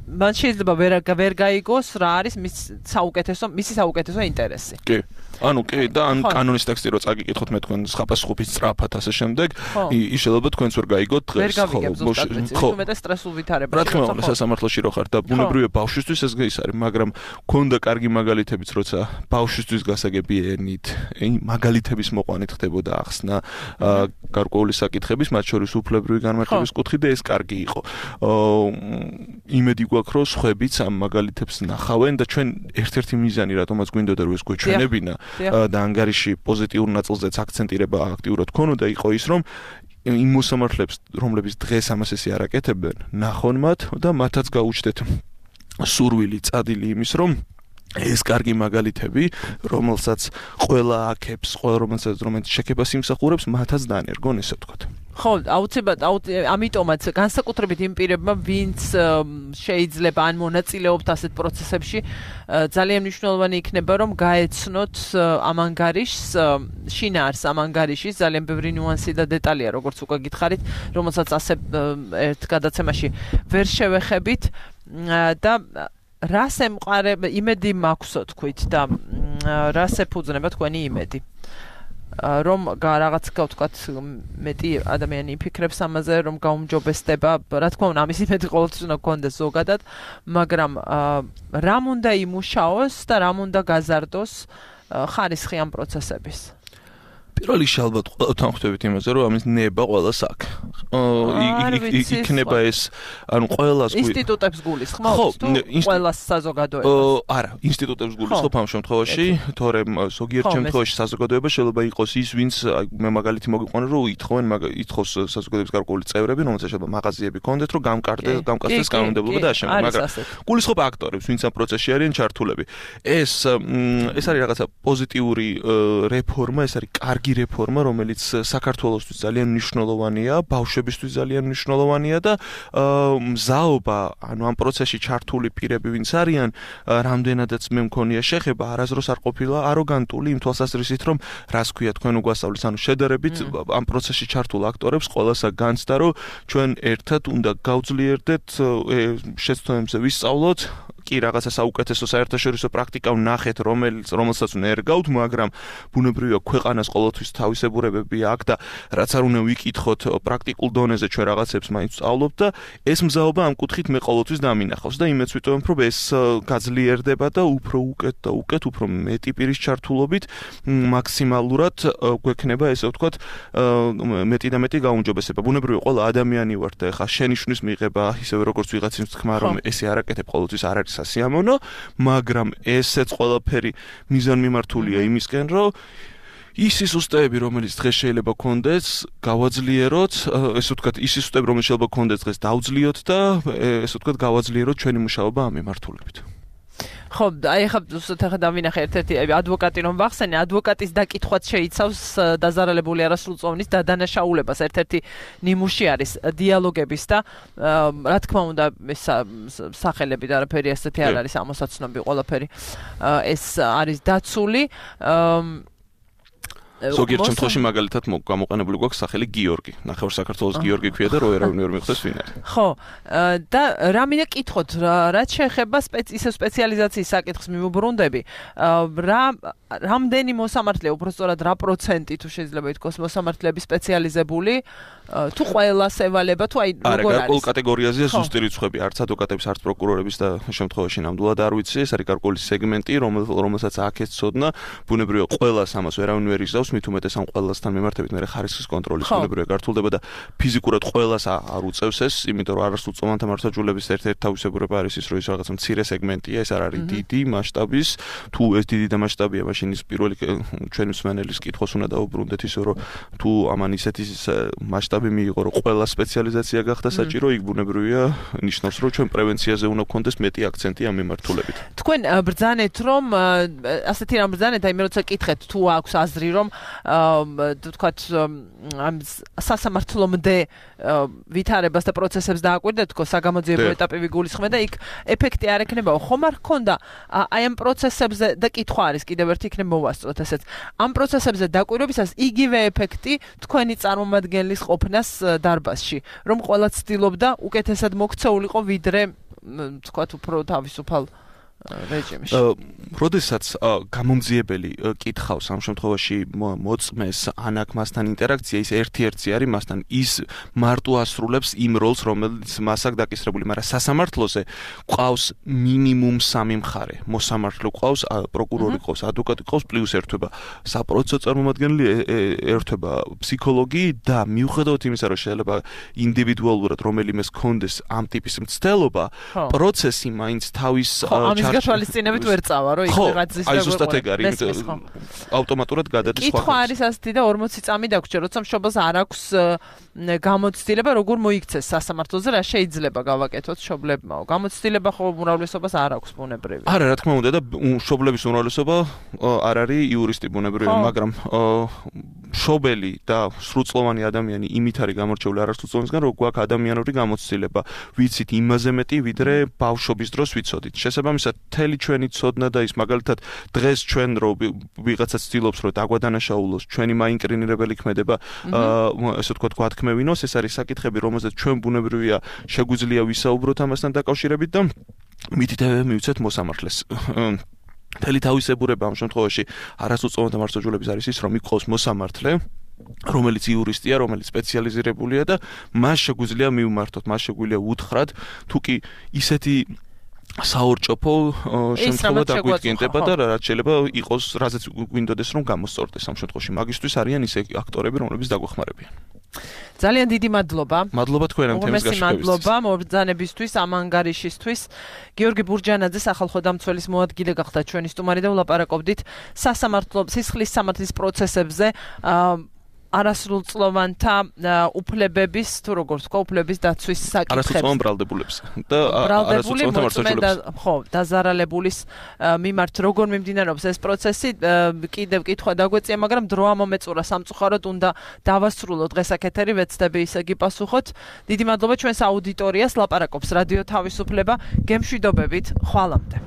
მან შეიძლება ვერ ვერ გაიგოს რა არის მის საუკეთესო მისი საუკეთესო ინტერესი. კი. ანუ კი და ან კანონის ტექსტი რო წაგიკითხოთ მე თქვენ ხაპასხუბის სწრაფად ასე შემდეგ ის შეიძლება თქვენც ვერ გაიგოთ დღეს ხო მე და სტრესულ ვითარებაში რა თქმა უნდა სასამართლოში რო ხარ და ბუნებრივია ბავშვისთვის ეს ის არის მაგრამ ქონდა კარგი მაგალითებიც როცა ბავშვისთვის გასაგები ენით მაგალითების მოყვანით ხდებოდა ახსნა გარკვეული საკითხების მათ შორის უფლებრივი განმარტების კუთხით და ეს კარგი იყო იმედი გვაქვს რომ სხვებიც ამ მაგალითებს ნახავენ და ჩვენ ერთ-ერთი მიზანი რატომაც გვინდოდა რომ ეს გვეჩვენებინა და ანგარიში პოზიტიურ ნაწილზეც აქცენტირება აქტიურად ქონოდა იყო ის რომ იმ მოსამართლეებს რომლებიც დღეს ამას ესე არ აკეთებენ ნახონ მათ და მათაც გაუჩნდეთ სურვილი წადილი იმის რომ ეს კარგი მაგალითები რომელსაც ყველა აქებს ყველა რომელსაც რომელიც შექებას იმსახურებს მათაც დაანერგონ ესე ვთქვათ ხო, აუცილებლად, ამიტომაც განსაკუთრებით იმ პირებმა, ვინც შეიძლება ან მონაწილეობთ ასეთ პროცესებში, ძალიან მნიშვნელოვანი იქნება, რომ გაეცნოთ ამ ანგარიშს, შინაარს ამ ანგარიშის, ძალიან ბევრი ნიუანსი და დეტალია, როგორც უკვე გითხარით, რომელსაც ასე ერთ გადაცემაში ვერ შევეხებით და რას ემყარება, იმედი მაქვსო თქვით და რას ეფუძნება თქვენი იმედი. რომ რაღაც გავთქვათ მეტი ადამიანი იფიქრებს ამაზე რომ გაუმჯობესდება რა თქმა უნდა ამის იმედი ყოველთვის უნდა გქონდეს ზოგადად მაგრამ რამ უნდა იმუშაოს და რამ უნდა გაზარდოს ხარისხი ამ პროცესების პირველ რიგში ალბათ ყველთან ხვდებით იმაზე რომ ამის ნება ყველას აქვს იქნება ეს ანუ ყველას ინსტიტუტებს გულისხმობთ თუ ყველას საზოგადოებას არა ინსტიტუტებს გულისხმობ ამ შემთხვევაში თორემ ზოგიერთ შემთხვევაში საზოგადოება შეიძლება იყოს ის ვინც მე მაგალითი მოგიყვანე რომ ითხოვენ ითხოვს საზოგადოების გარკვეული წევრები რომელსაც შეიძლება მაღაზიები ქონდეთ რომ გამკარდეს გამკარდეს კანონმდებლობა და ამავე მაგრამ გულისხმობ აქტორებს ვინც ამ პროცესში არიან ჩართულები ეს ეს არის რაღაცა პოზიტიური რეფორმა ეს არის კარგი რეფორმა, რომელიც საქართველოსთვის ძალიან მნიშვნელოვანია, ბავშვებისთვის ძალიან მნიშვნელოვანია და მზაობა, ანუ ამ პროცესში ჩართული პირები, ვინც არიან, რამდენადაც მე მქონია შეხება, არასდროს არ ყოფილა აროგანტული იმ თვალსაზრისით, რომ რას ქვია თქვენ უგვასწავლეთ, ანუ შედარებით ამ პროცესში ჩართულ აქტორებს ყველასა განცდა, რომ ჩვენ ერთად უნდა გავძლიერდეთ შეცდომებზე ვისწავლოთ კი რაღაცა საუკეთესო საერთაშორისო პრაქტიკა ვნახეთ, რომელიც რომელსაც ნერგავთ, მაგრამ ბუნებრივია ქვეყანას ყოველთვის თავისებურებები აქვს და რაც არ უნდა ვიკითხოთ პრაქტიკულ დონეზე ჩვენ რაღაცებს მაინც ვსწავლობთ და ეს მზაობა ამ კუთხით მე ყოველთვის დამინახავს და იმეც ვიტოვებ, რომ ეს გაძლიერდება და უფრო უკეთ და უკეთ, უფრო მეტი პირის ჩართულობით მაქსიმალურად გვექნება ესე ვთქვათ მეტი და მეტი გაუმჯობესება. ბუნებრივია ყველა ადამიანი ვარ და ხა შენიშვნის მიღება ისევე როგორც ვიღაცის თქმა რომ ესე არ აკეთებ ყოველთვის არ არის სასიამოვნო, მაგრამ ესეც ყველაფერი მიზანმიმართულია იმისკენ, რომ ის სისტემები, რომელიც დღეს შეიძლება გქონდეს, გავაძლიეროთ, ესე ვთქვათ, ის სისტემები, რომელიც შეიძლება გქონდეს დღეს დავძლიოთ და ესე ვთქვათ, გავაძლიეროთ ჩვენი მუშაობა ამ მიმართულებით. ხო, აი ახლა ზუსტად ახლა დავინახე ერთ-ერთი ადვოკატი რომ ვახსენე, ადვოკატის დაკითხვაც შეიცავს დაზარალებული არასრულწლოვნის დადანაშაულებას. ერთ-ერთი ნიმუში არის დიალოგების და რა თქმა უნდა ეს სახელები და არაფერი ასეთი არ არის ამოსაცნობი ყველაფერი ეს არის დაცული ზოგიერთ შემთხვევაში მაგალითად გამოყენებული გვაქვს სახელი გიორგი. ნახევარ საქართველოს გიორგი ქვია და რო ერავინ ვერ მიხვდეს ვინ არის. ხო, და რა მინდა კითხოთ, რაც შეეხება ისე სპეციალიზაციის საკითხს მიმოbrunდები, რა რამდენი მოსამართლე, უბრალოდ რა პროცენტი თუ შეიძლება ითქვას მოსამართლეები სპეციალიზებული, თუ ყველას ევალება, თუ აი როგორ არის? არა, გარკვეულ კატეგორიაზეა ზუსტი რიცხვები, არც ადვოკატების, არც პროკურორების და შემთხვევაში ნამდვილად არ ვიცი, ეს არის გარკვეული სეგმენტი, რომელსაც აქეთ ცოდნა, ბუნებრივია ყველას ამას ვერავინ ვერ იზავს მით უმეტეს ამ ყველასთან მიმართებით მე ხარისხის კონტროლის ბუნებრივია გართულდება და ფიზიკურად ყველას არ უწევს ეს, იმიტომ რომ არასრულწლოვანთა მართლმსაჯულების ერთ-ერთი თავისებურება არის ის, რომ ის რაღაცა მცირე სეგმენტია, ეს არ არის დიდი მასშტაბის, თუ ეს დიდი და მასშტაბია, მაშინ ის პირველი ჩვენი მსმენელის კითხვას უნდა დაუბრუნდეთ ისე, რომ თუ ამან ისეთი მასშტაბი მიიღო, რომ ყველა სპეციალიზაცია გახდა საჭირო, იქ ბუნებრივია ნიშნავს, რომ ჩვენ პრევენციაზე უნდა გქონდეს მეტი აქცენტი ამ მიმართულებით. თქვენ ბრძანეთ, რომ ასეთი რამ ბრძანეთ, აი მე როცა კითხეთ, თუ აქვს აზრი, რომ თქვათ ამ სასამართლომდე ვითარებას და პროცესებს დააკვირდეთ თქო საგამოძიებო ეტაპი ვიგულისხმე და იქ ეფექტი არ ექნებაო ხომ არ ქონდა აი ამ პროცესებზე და კითხვა არის კიდევ ერთი იქნებ მოვასწროთ ესეც ამ პროცესებზე დაკვირვებისას იგივე ეფექტი თქვენი წარმომადგენლის ყოფნას დარბაზში რომ ყველა ცდილობდა უკეთესად მოქცეულიყო ვიდრე თქვათ უფრო თავისუფალ რეჟიმში. როდესაც გამომძიებელი კითხავს ამ შემთხვევაში მოწმეს ან აქ მასთან ინტერაქცია ის ერთ-ერთი არის მასთან ის მარტო ასრულებს იმ როლს რომელიც მას აქვს დაკისრებული, მაგრამ სასამართლოზე ყავს მინიმუმ სამი მხარე. მოსამართლე ყავს, პროკურორი ყავს, ადვოკატი ყავს, პლუს ერთვება საპროცესო წარმომადგენელი, ერთვება ფსიქოლოგი და მიუხედავად იმისა, რომ შეიძლება ინდივიდუალურად რომელიმეს კონდეს ამ ტიპის მცდელობა, პროცესი მაინც თავის გათვალისწინებით ვერ წავა, რომ იქ ვიღაცის და აი ზუსტად ეგ არის, ავტომატურად გადადის სხვა. კითხვა არის ასეთი და ორმოცი წამი დაგვრჩა, როცა მშობელს არ აქვს გამოცდილება, როგორ მოიქცეს სასამართლოზე, რა შეიძლება გავაკეთოთ მშობლებმაო. გამოცდილება ხო უმრავლესობას არ აქვს ბუნებრივი. არა, რა თქმა უნდა და მშობლების უმრავლესობა არ არის იურისტი ბუნებრივი, მაგრამ მშობელი და სრულწლოვანი ადამიანი იმით არის გამორჩეული არასრულწლოვანისგან, რომ გვაქვს ადამიანური გამოცდილება. ვიცით იმაზე მეტი, ვიდრე ბავშვობის დროს ვიცოდით. შესაბამისად, მთელი ჩვენი ცოდნა და ის მაგალითად დღეს ჩვენ რო ვიღაცაც ცდილობს რომ დაგვადანაშაულოს, ჩვენი მაინკრინირებელი ქმედება, ესე ვთქვათ, გვათქმევინოს, ეს არის საკითხები, რომელზეც ჩვენ ბუნებრივია შეგვიძლია ვისაუბროთ ამასთან დაკავშირებით და მითითებები მივცეთ მოსამართლეს. მთელი თავისებურება ამ შემთხვევაში არასრულწლოვანთა მართლმსაჯულების არის ის, რომ იყავს მოსამართლე, რომელიც იურისტია, რომელიც სპეციალიზირებულია და მას შეგვიძლია მივმართოთ, მას შეგვიძლია უთხრათ, თუკი ისეთი საორჭოფო შემთხვევა დაგვიდგენდება და რაც შეიძლება იყოს, რაზეც გვინდოდეს რომ გამოსწორდეს ამ შემთხვევაში. მაგისთვის არიან ისე აქტორები, რომლებიც დაგვეხმარებიან. ძალიან დიდი მადლობა. მადლობა თქვენ ამ თემის გაშუქებისთვის. მადლობა მობრძანებისთვის, ამ ანგარიშისთვის. გიორგი ბურჯანაძე სახალხო დამცველის მოადგილე გახდა ჩვენი სტუმარი და ვლაპარაკობდით სასამართლო სისხლის სამართლის პროცესებზე. არასრულწლოვანთა უფლებების თუ როგორ თქვა უფლების დაცვის საკითხებს. არასრულწლოვან ბრალდებულებს და არასრულწლოვანთა მართლმსაჯულებს. ხო, დაზარალებულის მიმართ როგორ მიმდინარეობს ეს პროცესი, კიდევ კითხვა დაგვეწია, მაგრამ დრო ამომეწურა სამწუხაროდ უნდა დავასრულოთ დღეს აქ ეთერი, ვეცდები ისე გიპასუხოთ. დიდი მადლობა ჩვენს აუდიტორიას, ლაპარაკობს რადიო თავისუფლება, გემშვიდობებით, ხვალამდე.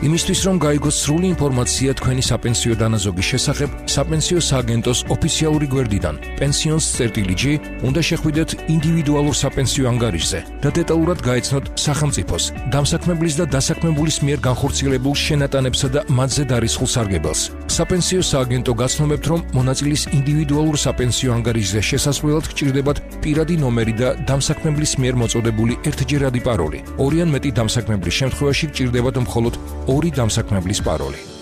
იმისთვის რომ გაიგოთ სრული ინფორმაცია თქვენი საპენსიო დანაზოგის შესახებ, საპენსიო სააგენტოს ოფიციალური გვერდიდან pensions წერტილი ჯი უნდა შეხვიდეთ ინდივიდუალურ საპენსიო ანგარიშზე და დეტალურად გაეცნოთ სახელმწიფოს, დამსაქმებლის და დასაქმებულის მიერ განხორციელებულ შენატანებსა და მათზე დარისხულ სარგებელს. საპენსიო სააგენტო გაცნობებთ, რომ მონაწილის ინდივიდუალურ საპენსიო ანგარიშზე შესასვლელად გჭირდებათ პირადი ნომერი და დამსაქმებლის მიერ მოწოდებული ერთჯერადი პაროლი. ორი ან მეტი დამსაქმებლის შემთხვევაში გჭირდებათ მხოლოდ ორი დამსაქმებლის პაროლი.